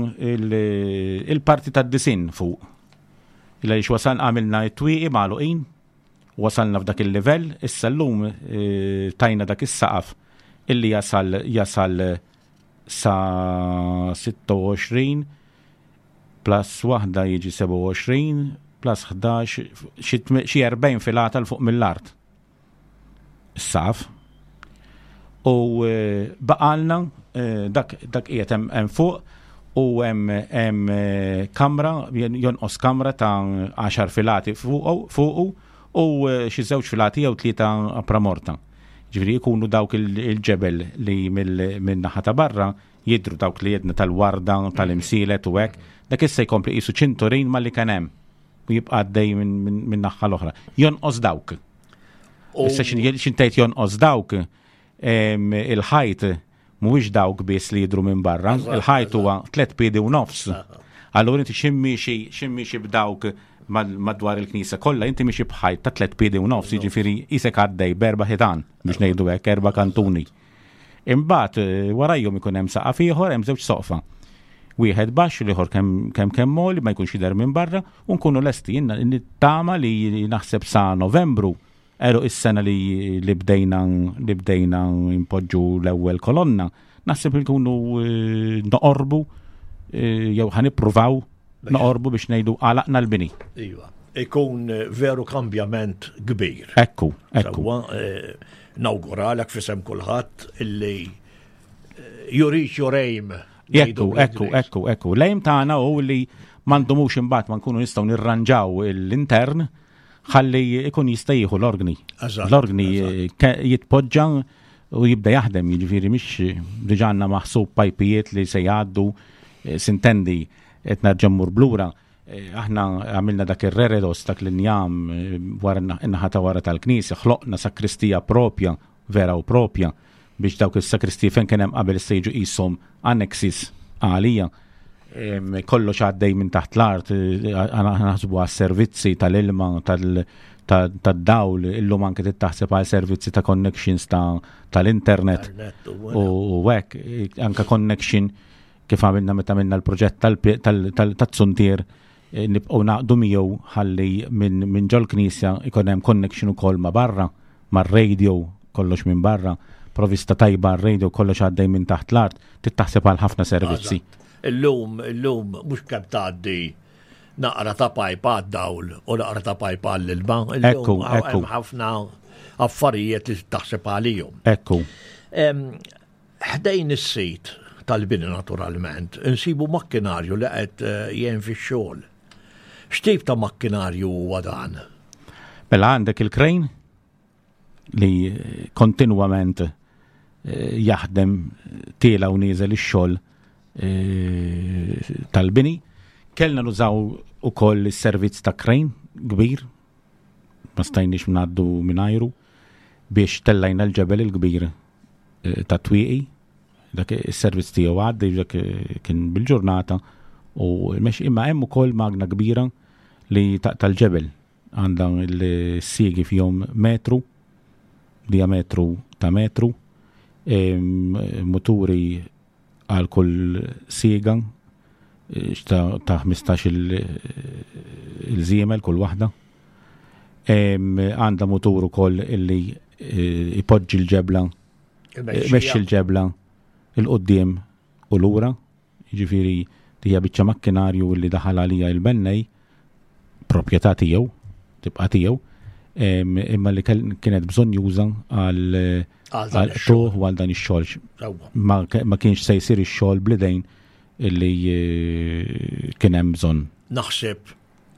C: il-parti tad-disin fuq. Illa li wasal għamilna t-twieqi magħluqin, wasalna f'dak il-livell, issa llum eh, tajna dak is-saqaf illi jasal jasal sa 26 plus waħda jiġi 27 plus 11 xi 40 filata l fuq mill-art. saf u eh, baqalna eh, dak dak qiegħed hemm fuq u hemm hemm eh, kamra jonqos kamra ta' 10 filati fuqu u xi żewġ filati jew tlieta pramorta. Ġifieri jkunu dawk il-ġebel li minn naħa ta' barra jidru dawk li jedna tal-warda, tal-imsielet u hekk, dak issa jkompli qisu ċinturin ma li kien hemm u jibqa' għaddej minn naħa l-oħra. Jonqos dawk. Issa xintejt jonqos dawk il-ħajt mhuwiex dawk biss li jidru minn barra, il-ħajt huwa tlet piedi u nofs. Allura inti ximmiexi ximmiexi b'dawk madwar il-knisja kollha, inti miexi b'ħajt ta' tlet piedi u nofs, jiġifieri isek għaddej b'erba' ħitan biex ngħidu hekk, erba' kantuni. Imbagħad eh, warajhom ikun hemm saqaf ieħor, hemm żewġ soqfa. Wieħed baxx, l-ieħor kemm kemm kemm moli ma jkunx jidher minn barra u nkunu lesti nittama li naħseb sa Novembru għeluq is-sena li li bdejna li bdejna npoġġu l-ewwel kolonna, naħseb li nkunu eh, noqorbu eh, jew ħa nippruvaw noqorbu biex ngħidu għalaqna l-bini.
B: Iva, ikun eh, veru kambjament kbir.
C: Ekku, ekku.
B: Nawguralek fisem kulħadd illi you reach your aim.
C: Ekku, ekku, ekku, ekku. L-aim tagħna hu li m'għandhomux imbagħad ma nkunu nistgħu nirranġaw l-intern ħalli ikun jista' jieħu l-organi. L-organi eh, jitpoġġa u jibda jaħdem, jiġifieri mhix diġà għandna maħsub pajpijiet li se jgħaddu eh, sintendi qed nerġa' mmur blura. Eh, aħna għamilna dak ir-reredos dak l-injam eh, wara in-naħa ta' wara tal-knisja, ħloqna sakristija propja, vera u propja, biex dawk is-sakristiji fejn kien hemm qabel issa jiġu qishom annexes għalija. Kollox għaddej minn taħt l-art, eh, naħsbu għas-servizzi tal-ilma, tad-dawl, illum anke taħseb għal servizzi ta' connections tal-internet u hekk, anke connection kif għamilna meta għamilna l-proġett tal-zuntier eh, nibqgħu naqdu miegħu ħalli minn ġol-knisja ikun hemm connection ukoll ma' barra, mar-radio, kollox minn barra, provista tajba r-radio kollox għaddej minn taħt l-art, tittaħseb għal ħafna servizzi.
B: Illum, illum, mhux kemm tgħaddi naqra ta' pajpa għad-dawl u naqra ta' pajpa għall-ilma.
C: Ekku, ekku.
B: Ħafna affarijiet li taħseb għalihom.
C: Ekku.
B: Ħdejn is-sit tal-bini naturalment, insibu makkinarju li qed eh, jgħin fix-xogħol. X'tip ta' makkinarju huwa dan?
C: Mela għandek il-krejn li eh, kontinwament eh, jaħdem tiela u nieżel ix-xogħol tal-bini. Kellna nużaw ukoll is-servizz ta' krejn kbir, ma stajniex ngħaddu mingħajru biex tellajna l-ġebel il-kbir eh, ta' twieqi, dak is-servizz tiegħu għaddi dak eh, kien bil-ġurnata u mex imma hemm ukoll magna kbira li tal-ġebel għandha l-siegi fihom metru, diametru ta' metru, muturi għal kull siega eh, ta' 15 il-żiemel kull waħda. Għandha mutur ukoll illi eh, ipoġġi l-ġebla, imexxi l-ġebla il-qudiem u lura, jiġifieri hija biċċa makkinarju li daħal għalija il-bennej proprjetà tiegħu, tibqa' tiegħu, imma li kienet bżonn juża għal tuħ u għal dan ix-xogħol. Ma kienx se jsir ix-xogħol bl-idejn illi eh, kien hemm bżonn.
B: Naħseb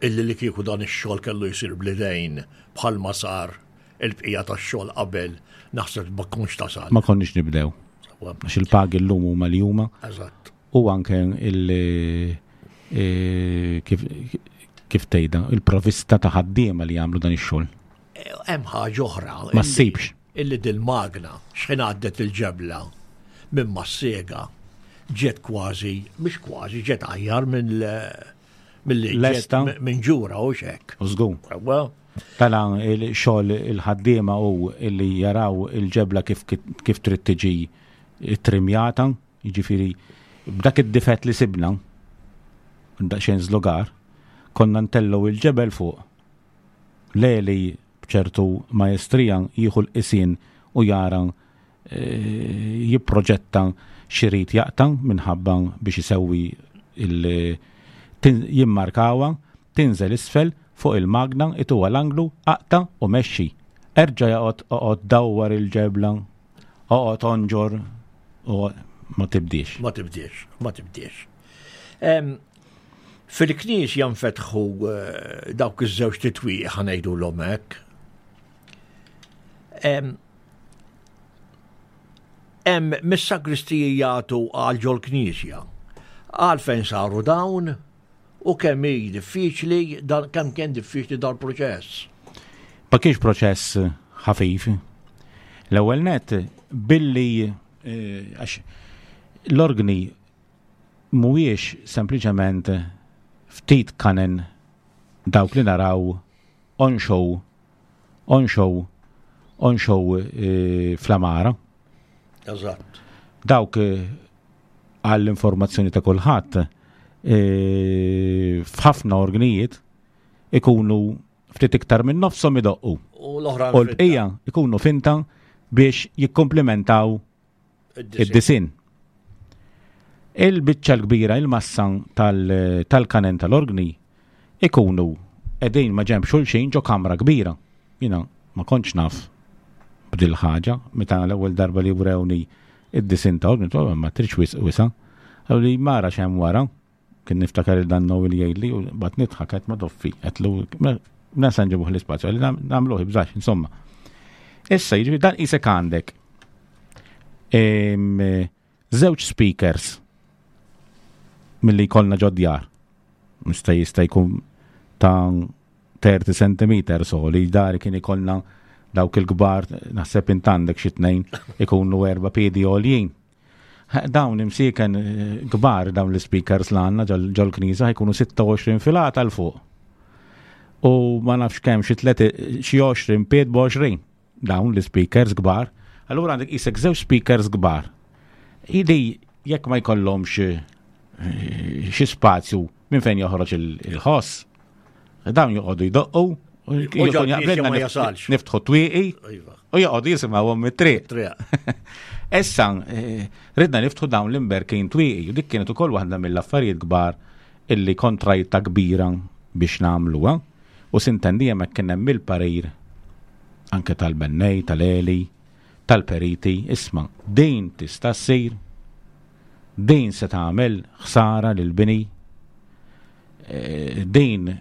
B: illi li kieku dan ix-xogħol kellu jsir bl-idejn bħalma sar il-bqija tax-xogħol qabel, naħseb ma kontx tasal.
C: Ma konniex nibdew. Għax il-pagi llum huma li huma.
B: Eżatt.
C: U anke il e, kif kif tgħidha, il-provista ta' ħaddiema li jagħmlu dan ix-xogħol.
B: Hemm ħaġa oħra.
C: Ma ssibx.
B: Illi dil-magna x'ħin għaddet il-ġebla minn mas-sega ġiet kważi, mhux kważi, ġiet aħjar minn milli
C: Lesta.
B: minn ġura u xek.
C: U żgur. Tala il-xogħol il-ħaddiema u illi jaraw il-ġebla kif kif trid tiġi trimjata, jiġifieri b'dak id-difett li sibna, daqsxejn żlugar, konna ntellgħu il-ġebel fuq. Leli b'ċertu majestrija jieħu l-qisien u jara jipproġetta x'irid jaqta' minħabba biex isewwi il jimmarkawha, tinżel isfel fuq il-magna ituha l-anglu, aqta' u mexxi. Erġa' joqgħod oqgħod dawwar il-ġebla, oqgħod onġor u ma tibdiex.
B: Ma tibdiex, ma tibdiex. Fil-knisja nfetħu eh, dawk iż-żewġ titwieq ħanejdulhom hekk. Hemm mis-sagristiji jagħtu għal ġol-knisja. Għalfejn saru dawn u kemm hi diffiċli kemm kien diffiċli dal-proċess.
C: Ma kienx proċess ħafif. L-ewwel net billi eh, għax l-organi mhuwiex sempliċement ftit kanen dawk li naraw on show on show on show eh, fl-amara.
B: Eżatt.
C: Dawk eh, għall-informazzjoni ta' kulħadd eh, f'ħafna organijiet ikunu ftit iktar minn nofshom idoqqu.
B: U l-oħra
C: U l-bqija ikunu finta biex jikkomplementaw id-disin. Il-biċċa l-kbira, il-massa tal-kanen tal-organi ikunu qegħdin ma' ġenb xulxin ġo kamra kbira. Jiena ma kontx naf b'dil ħaġa meta l-ewwel darba li wrewni id-disin ta' organi, ma tridx wisq wisa'. Qaluli mara x'hemm wara. Kien niftakar il dan Noel jgħidli u bat nidħak qed ma doffi, qedlu mela se nġibuh l-ispazju, għalli nagħmluh ibżax, insomma. Issa jiġifieri dan qisek għandek żewġ speakers milli jkollna ġod djar. Mista jista' jkun ta' 30 cm soli, dari kien ikollna dawk il-kbar, naħseb int għandek xi tnejn ikunu erba' piedi għoljin. Dawn imsieken eh, kbar dawn l-speakers l għandna ġol-knisja ħajkunu 26 filata l fuq. U ma nafx kemm xi xi 20 pied b'20 dawn l-speakers kbar. Allura għandek isek żewġ speakers kbar. Ili jekk ma jkollhomx eh, xi spazju minn fejn joħroġ il-ħoss, dawn joqogħdu jdoqqu u niftħu twieqi iva. u joqogħdu jisimgħuhom mit-triq. Issa eh, ridna niftħu dawn l-imberkin twieqi u dik kienet ukoll waħda mill-affarijiet kbar illi kontrajta kbira biex nagħmluha. U sintendi hemmhekk kien hemm il-parir anke tal-bennej, tal-eli, tal-periti, isma' din tista' ssir, din se tagħmel ħsara lill-bini, eh, din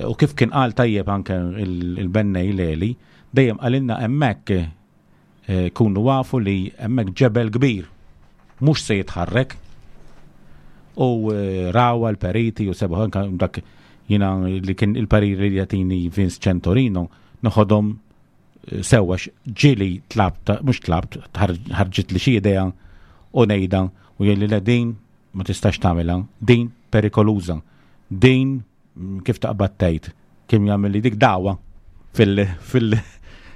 C: u kif kien qal tajjeb anke il-bennej l-eli, dejjem qalilna hemmhekk eh, kunu wafu li hemmhekk ġebel kbir mhux se jitħarrek u eh, rawa l-periti u sebaħ anke dak jina li kien il-parir li jatini Vince Centorino noħodhom eh, sewwa ġili tlabt, mhux tlabt, ħarġit li xi idea u ngħidha u jgħidli le din ma tistax tagħmilha, din perikoluża, din kif taqbad tgħid, kien jagħmel li dik dagħwa fil fil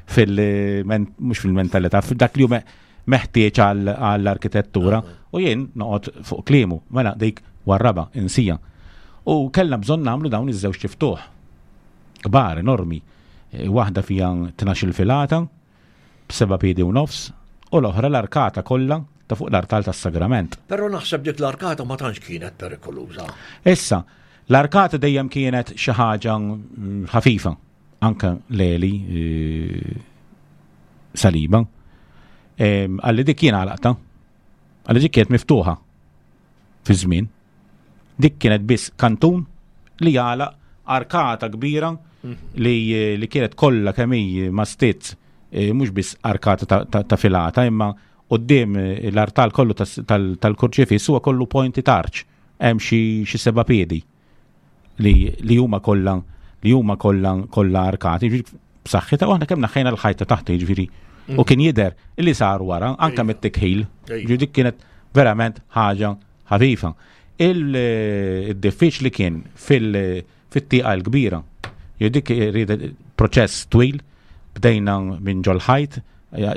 C: fil mhux fil-mentalità, dak li hu meħtieġ għall-arkitettura u jien noqgħod fuq kliemu, mela dik warraba insija. U kellna bżonn nagħmlu dawn iż-żewġ tiftuħ. Kbar, enormi. E, waħda fiha 12 filata, b'seba' piedi u nofs, u l-oħra l-arkata kollha ta' fuq l-artal tas-sagrament.
B: Però naħseb dik l-arkata ma tantx kienet perikoluża.
C: Issa, l-arkata dejjem kienet xi ħaġa mm, ħafifa, anke leli eh, saliba. Għalli dik kien għalaqta, għalli dik kienet miftuħa fi żmien. Dik kienet biss kantun li jagħlaq arkata kbira mhm. li, li kienet kollha kemm hi ma stizz e, mhux biss arkata ta', ta, ta filata imma qudiem eh, l-artal kollu tal-kurċifiss huwa kollu pointi tarċ hemm xi seba' piedi. li li huma kollha li huma kollha kollha arkati, b'saħħitha u aħna kemm naħħejna l-ħajta taħt jiġifieri. U kien jidher li sar wara anke iva. mit-tikħil, ġifieri dik kienet verament ħaġa ħafifa. Il-diffiċli kien fil-tieqa l-kbira. Dik proċess twil, bdejna minn ġol-ħajt,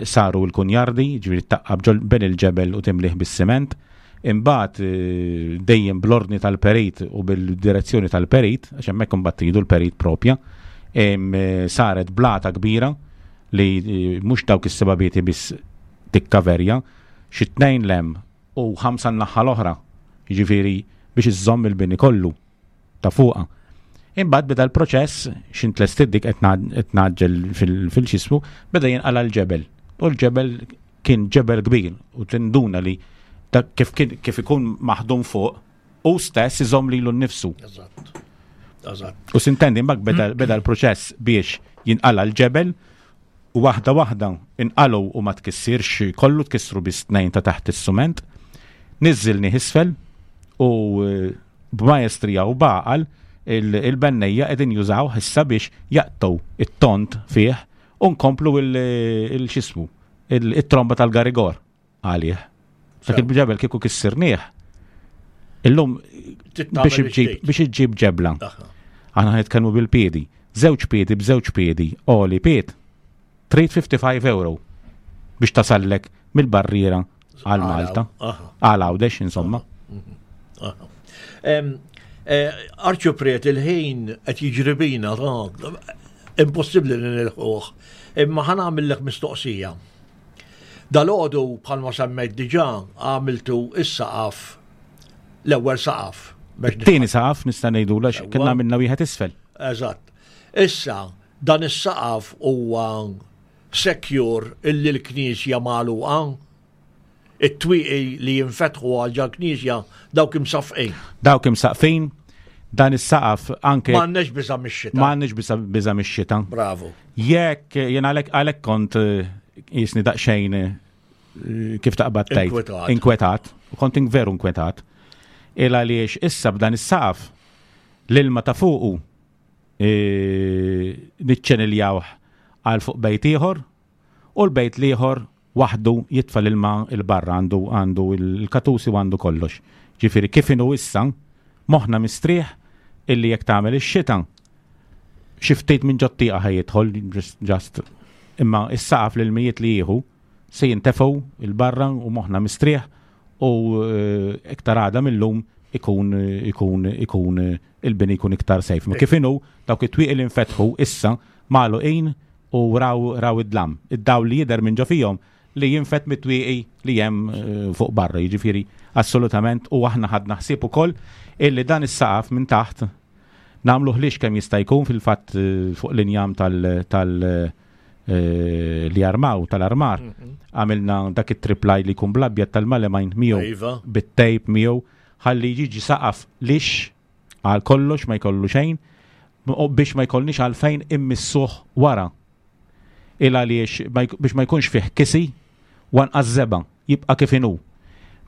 C: saru l-kunjardi, ġifieri taqqab ġol ben il-ġebel u timlih bis-siment. Imbagħad eh, dejjem bl-ordni tal-perit u bil-direzzjoni tal-perit, għax hemmhekk imbagħad tridu l-perit propja, eh, saret blata kbira li eh, mhux dawk is-sebabieti biss tikkaverja, xi tnejn lem u ħamsa n-naħa l-oħra, jiġifieri biex iżżomm il-bini kollu. ta' fuqha. Imbagħad beda l-proċess x'int tlestit dik qed ngħaġġel fil-xismu, beda jinqala l-ġebel. U l-ġebel kien ġebel kbir u tinduna li kif kif ikun maħdum fuq u stess iżomm lilu nnifsu.
B: Eżatt. Eżatt.
C: U sintendi mbagħad beda l-proċess biex jinqala l-ġebel u waħda waħda inqalgħu u ma tkissirx kollu tkissru biss tnejn ta' taħt is-sument. Niżżilni isfel u eh, b'maestrija u b'għaqal il-bennejja qegħdin jużaw issa biex jaqtgħu it-tont fih u nkomplu il-xismu il-tromba tal-garigor. għalih. Dak il-ġebel kieku kissirnieh. Illum biex iġġib ġebla. Aħna nitkellmu bil-piedi. Żewġ piedi b'żewġ piedi, oli pied. Trid 55 euro biex tasallek mill-barriera għal Malta. Għal Għawdex, insomma.
B: Eh, Arċipriet il-ħin qed jiġri bina, impossibbli li nilħuh. Imma ħa nagħmillek mistoqsija. Dalgħodu bħalma semmejt diġà għamiltu is-saqaf l-ewwel saqaf.
C: Tieni saqaf nista' ngħidula kien għamilna wieħed isfel.
B: Eżatt. Issa dan is-saqaf huwa secure illi l-knisja magħluqa it-twieqi li jinfetħu għal ġal knisja dawk imsaffqin.
C: Dawk imsaqqfin, dan is-saqaf anke.
B: M'għandniex biża' mix-xita.
C: M'għandniex biża' mix-xita.
B: Bravo.
C: Jekk jien għalhekk għalhekk kont eh, jisni daqsxejn eh, kif taqbad tgħid.
B: Inkwetat.
C: Inkwetat, u kont veru inkwetat. Il għaliex issa b'dan is-saqaf L-ilma ta' fuqu niċċeniljawh għal fuq bejt ieħor u l-bejt l-ieħor waħdu jitfa' l-ilma 'l barra għandu għandu l-katusi u għandu kollox. Ġifieri kif inhu issa moħħna mistrieħ illi jekk tagħmel ix-xita xi ftit minn ġot-tieqa ħa jidħol just imma s-saqaf l-ilmijiet li jieħu se jintefgħu 'l barra u moħħna mistrieħ u iktar għada mil-lum ikun ikun ikun il-bini jkun iktar safe. Ma kif inhu dawk it-twieqi li nfetħu issa magħluqin u raw raw id-dlam. Id-dawl li jidher minn ġo fihom li jinfet mit-twieqi li hemm eh, fuq barra, jiġifieri assolutament u aħna ħadna ħsieb ukoll illi dan is-saqaf minn taħt nagħmluh lix kemm jista' jkun fil-fatt eh, fuq l-injam tal, tal eh, li armaw tal-armar mhm. għamilna dak it-triplaj li jkun blabjad tal-malemajn miegħu iva. bit-tejp miegħu ħalli jiġi saqaf lix għal kollox ma jkollu xejn u biex ma jkollniex għalfejn immissuh wara. Il għaliex biex ma jkunx fih kisi u anqas żebgħa, jibqa' kif inhu.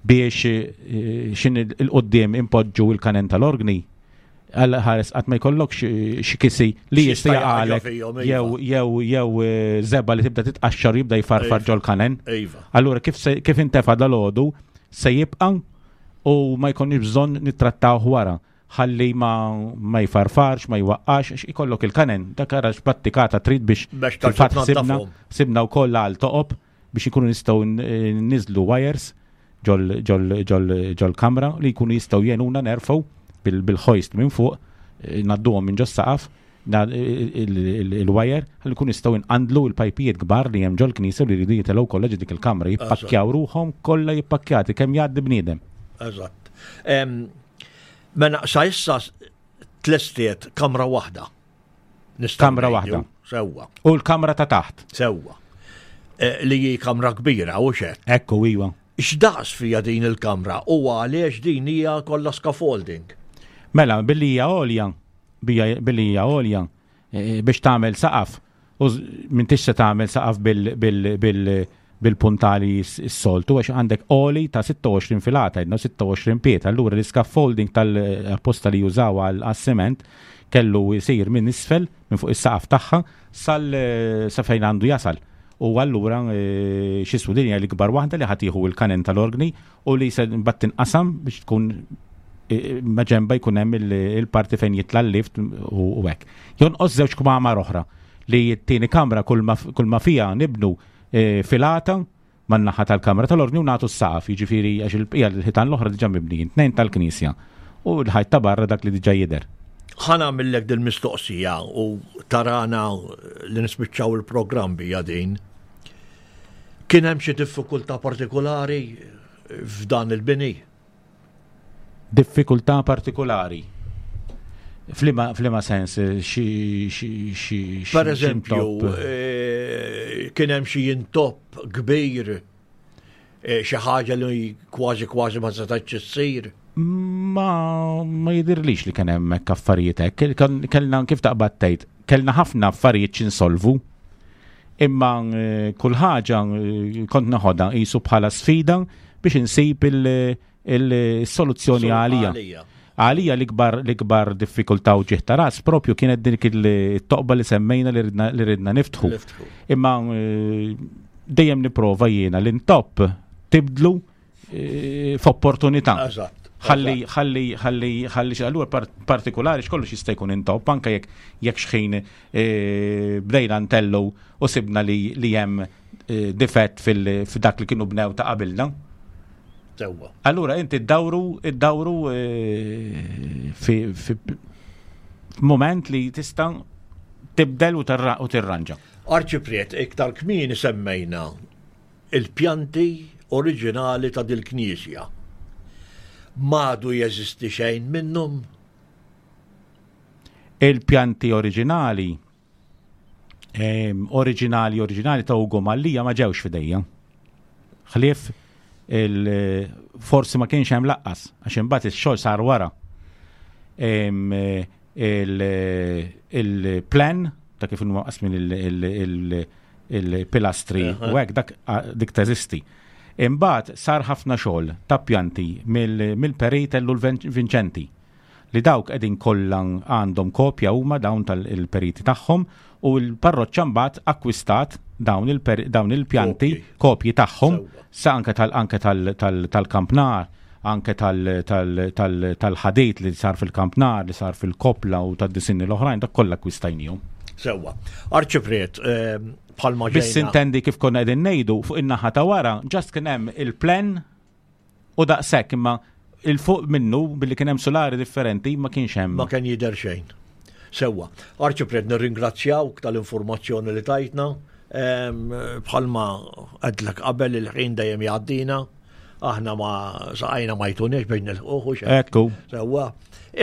C: Biex eh, xin il-qoddim impoġġu il-kanen tal-organi, għal ħares qatt ma jkollokx eh, xi kisi li jista' jaqalek iva. jew jew jew eh, żebgħa li tibda titqaxxar jibda jfarfar iva. ġol-kanen. Iva. Allura kif kif intefa' dal-għodu se jibqa' u ma jkollniex bżonn nittrattawh wara ħalli ma, ma jfarfarx, ma jwaqqax, għax ikollok il-kanen, dak ara x'battikata trid biex fil-fatt sibna, sibna wkoll għal toqob biex ikunu nistgħu niżlu wires ġol kamra li jkunu jistgħu jenuna nerfgħu bil-hoist minn fuq, eh, nadduhom minn ġos-saqaf il-wire ħalli nkunu nistgħu nqandlu l-pajpijiet kbar li hemm ġol-knisja li jridu jitilgħu kollha ġo dik il-kamra, jippakkjaw ruħhom kollha jippakkjati kemm jgħaddi bniedem.
B: Eżatt. Mela sa issa tlestiet kamra waħda.
C: Kamra waħda.
B: Sewwa.
C: U l-kamra ta' taħt.
B: Sewwa. Eh, li hi kamra kbira u xed.
C: Ekku iwa.
B: X'daqs fija din il-kamra u għaliex din hija kollha scaffolding?
C: Mela, billi hija għolja, billi hija għolja eh, biex tagħmel saqaf u m'intix se tagħmel saqaf bil-puntali s-soltu għax għandek għoli ta' 26 filata, jidna 26 piet, allura l-scaffolding tal-apposta li jużaw għal-sement kellu jisir minn isfel, minn fuq is-saqaf tagħha, sal sa fejn għandu jasal. U allura eh, xismu din hija l-ikbar waħda li ħatiħu il-kanen tal-organi u li se mbagħad tinqasam biex tkun e, e, maġenba jkun hemm il-parti fejn jitla' l-lift u hekk. Jonqos żewġ kmamar oħra li t-tieni kamra kull ma fiha nibnu e, filata man-naħa tal-kamra tal-ordni u nagħtu s-saqaf, jiġifieri għax il-bqija l-ħitan l-oħra diġà mibnijin, tnejn tal-knisja u l-ħajt ta' barra dak li diġà jidher.
B: Ħa nagħmillek dil-mistoqsija u tarana li nispiċċaw il-programm bija din. Kien hemm xi diffikultà partikolari f'dan il-bini?
C: Diffikultà partikolari? Flima, flima sens, xi xi xi
B: Per eżempju, eh, kien hemm xi intopp kbir, eh, xi ħaġa li kważi kważi ma setgħetx issir.
C: Ma ma jidirlix li kien hemm hekk affarijiet hekk. Kellna kif taqbad tgħid, kellna ħafna affarijiet x'insolvu. Imma eh, kull ħaġa eh, kont naħodha qisu bħala sfida biex insib il-soluzzjoni għalija. Għalija l-ikbar l-ikbar diffikultà u ġieħ ta' ras propju kienet dik il-toqba li semmejna li ridna niftħu. Imma eh, dejjem nipprova jiena l-intopp tibdlu Eh, f'opportunità. Ħalli, ħalli, ħalli, ħalli, allura partikolari x'kollox jista' jkun intopp, anke jekk jekk xħin eh, bdejna ntellu u sibna li li hemm eh, difett fil-dak li kienu bnew ta' qabilna.
B: Sewwa.
C: Allura inti ddawru ddawru fi moment li tista' tibdel u tirranġa.
B: Arċipriet, iktar kmieni semmejna Il-pjanti oriġinali ta' dil-knisja. M'għadu jeżisti xejn minnhom?
C: Il-pjanti oriġinali oriġinali oriġinali ta' Ugo Mallia ma ġewx f'idejja. Ħlief il forsi ma kienx hemm laqqas għax imbagħad ix-xogħol sar wara. Il-plan ta' kif huma qasmin il-pilastri u hekk dak dik teżisti. Imbagħad sar ħafna xogħol ta' pjanti mill-perit Ellul Vinċenti. Li dawk qegħdin kollha għandhom kopja huma dawn tal-periti tagħhom u l-parroċċa mbagħad akkwistat dawn il-pjanti kopji tagħhom sa anke tal anke tal-kampnar anke tal-ħadid li sar fil-kampnar, li sar fil-kopla u tad-disinni l-oħrajn, dak kollha akkwistajnihom.
B: Sewwa. Arċipriet, ehm, bħalma
C: Biss intendi kif konna qegħdin ngħidu fuq in-naħa ta' wara, ġast kien hemm il-plen U daqshekk imma il fuq minnu billi kien hemm sulari differenti ma kienx hemm.
B: Ma kien jidher xejn. Sewwa. Arċipriet nirringrazzjawk tal-informazzjoni li tajtna. Bħalma għedlek qabel il-ħin dejjem jgħaddina. Aħna ma saqajna ma jtuniex biex nilħuħu xejn.
C: Ekku.
B: Sewwa.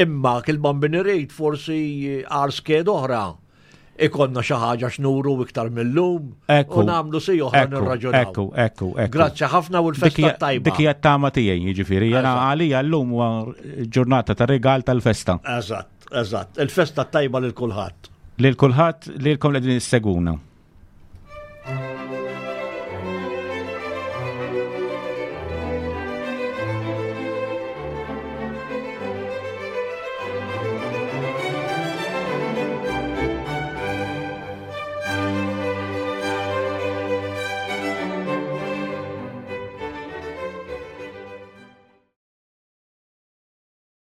B: Imma kil-bambin irid forsi għar sked oħra ikonna xi ħaġa x'nuru iktar mill-lum u nagħmlu si oħra nirraġunaw.
C: Ekku, ekku, ekku.
B: Grazzi ħafna u l-festa tajba.
C: Dik hija t-tama tiegħi, jiġifieri, jiena għalija llum huwa ġurnata ta' rigal tal-festa.
B: Eżatt, eżatt. Il-festa tajba lil kulħadd.
C: Lil kulħadd, lilkom li qegħdin issegwuna.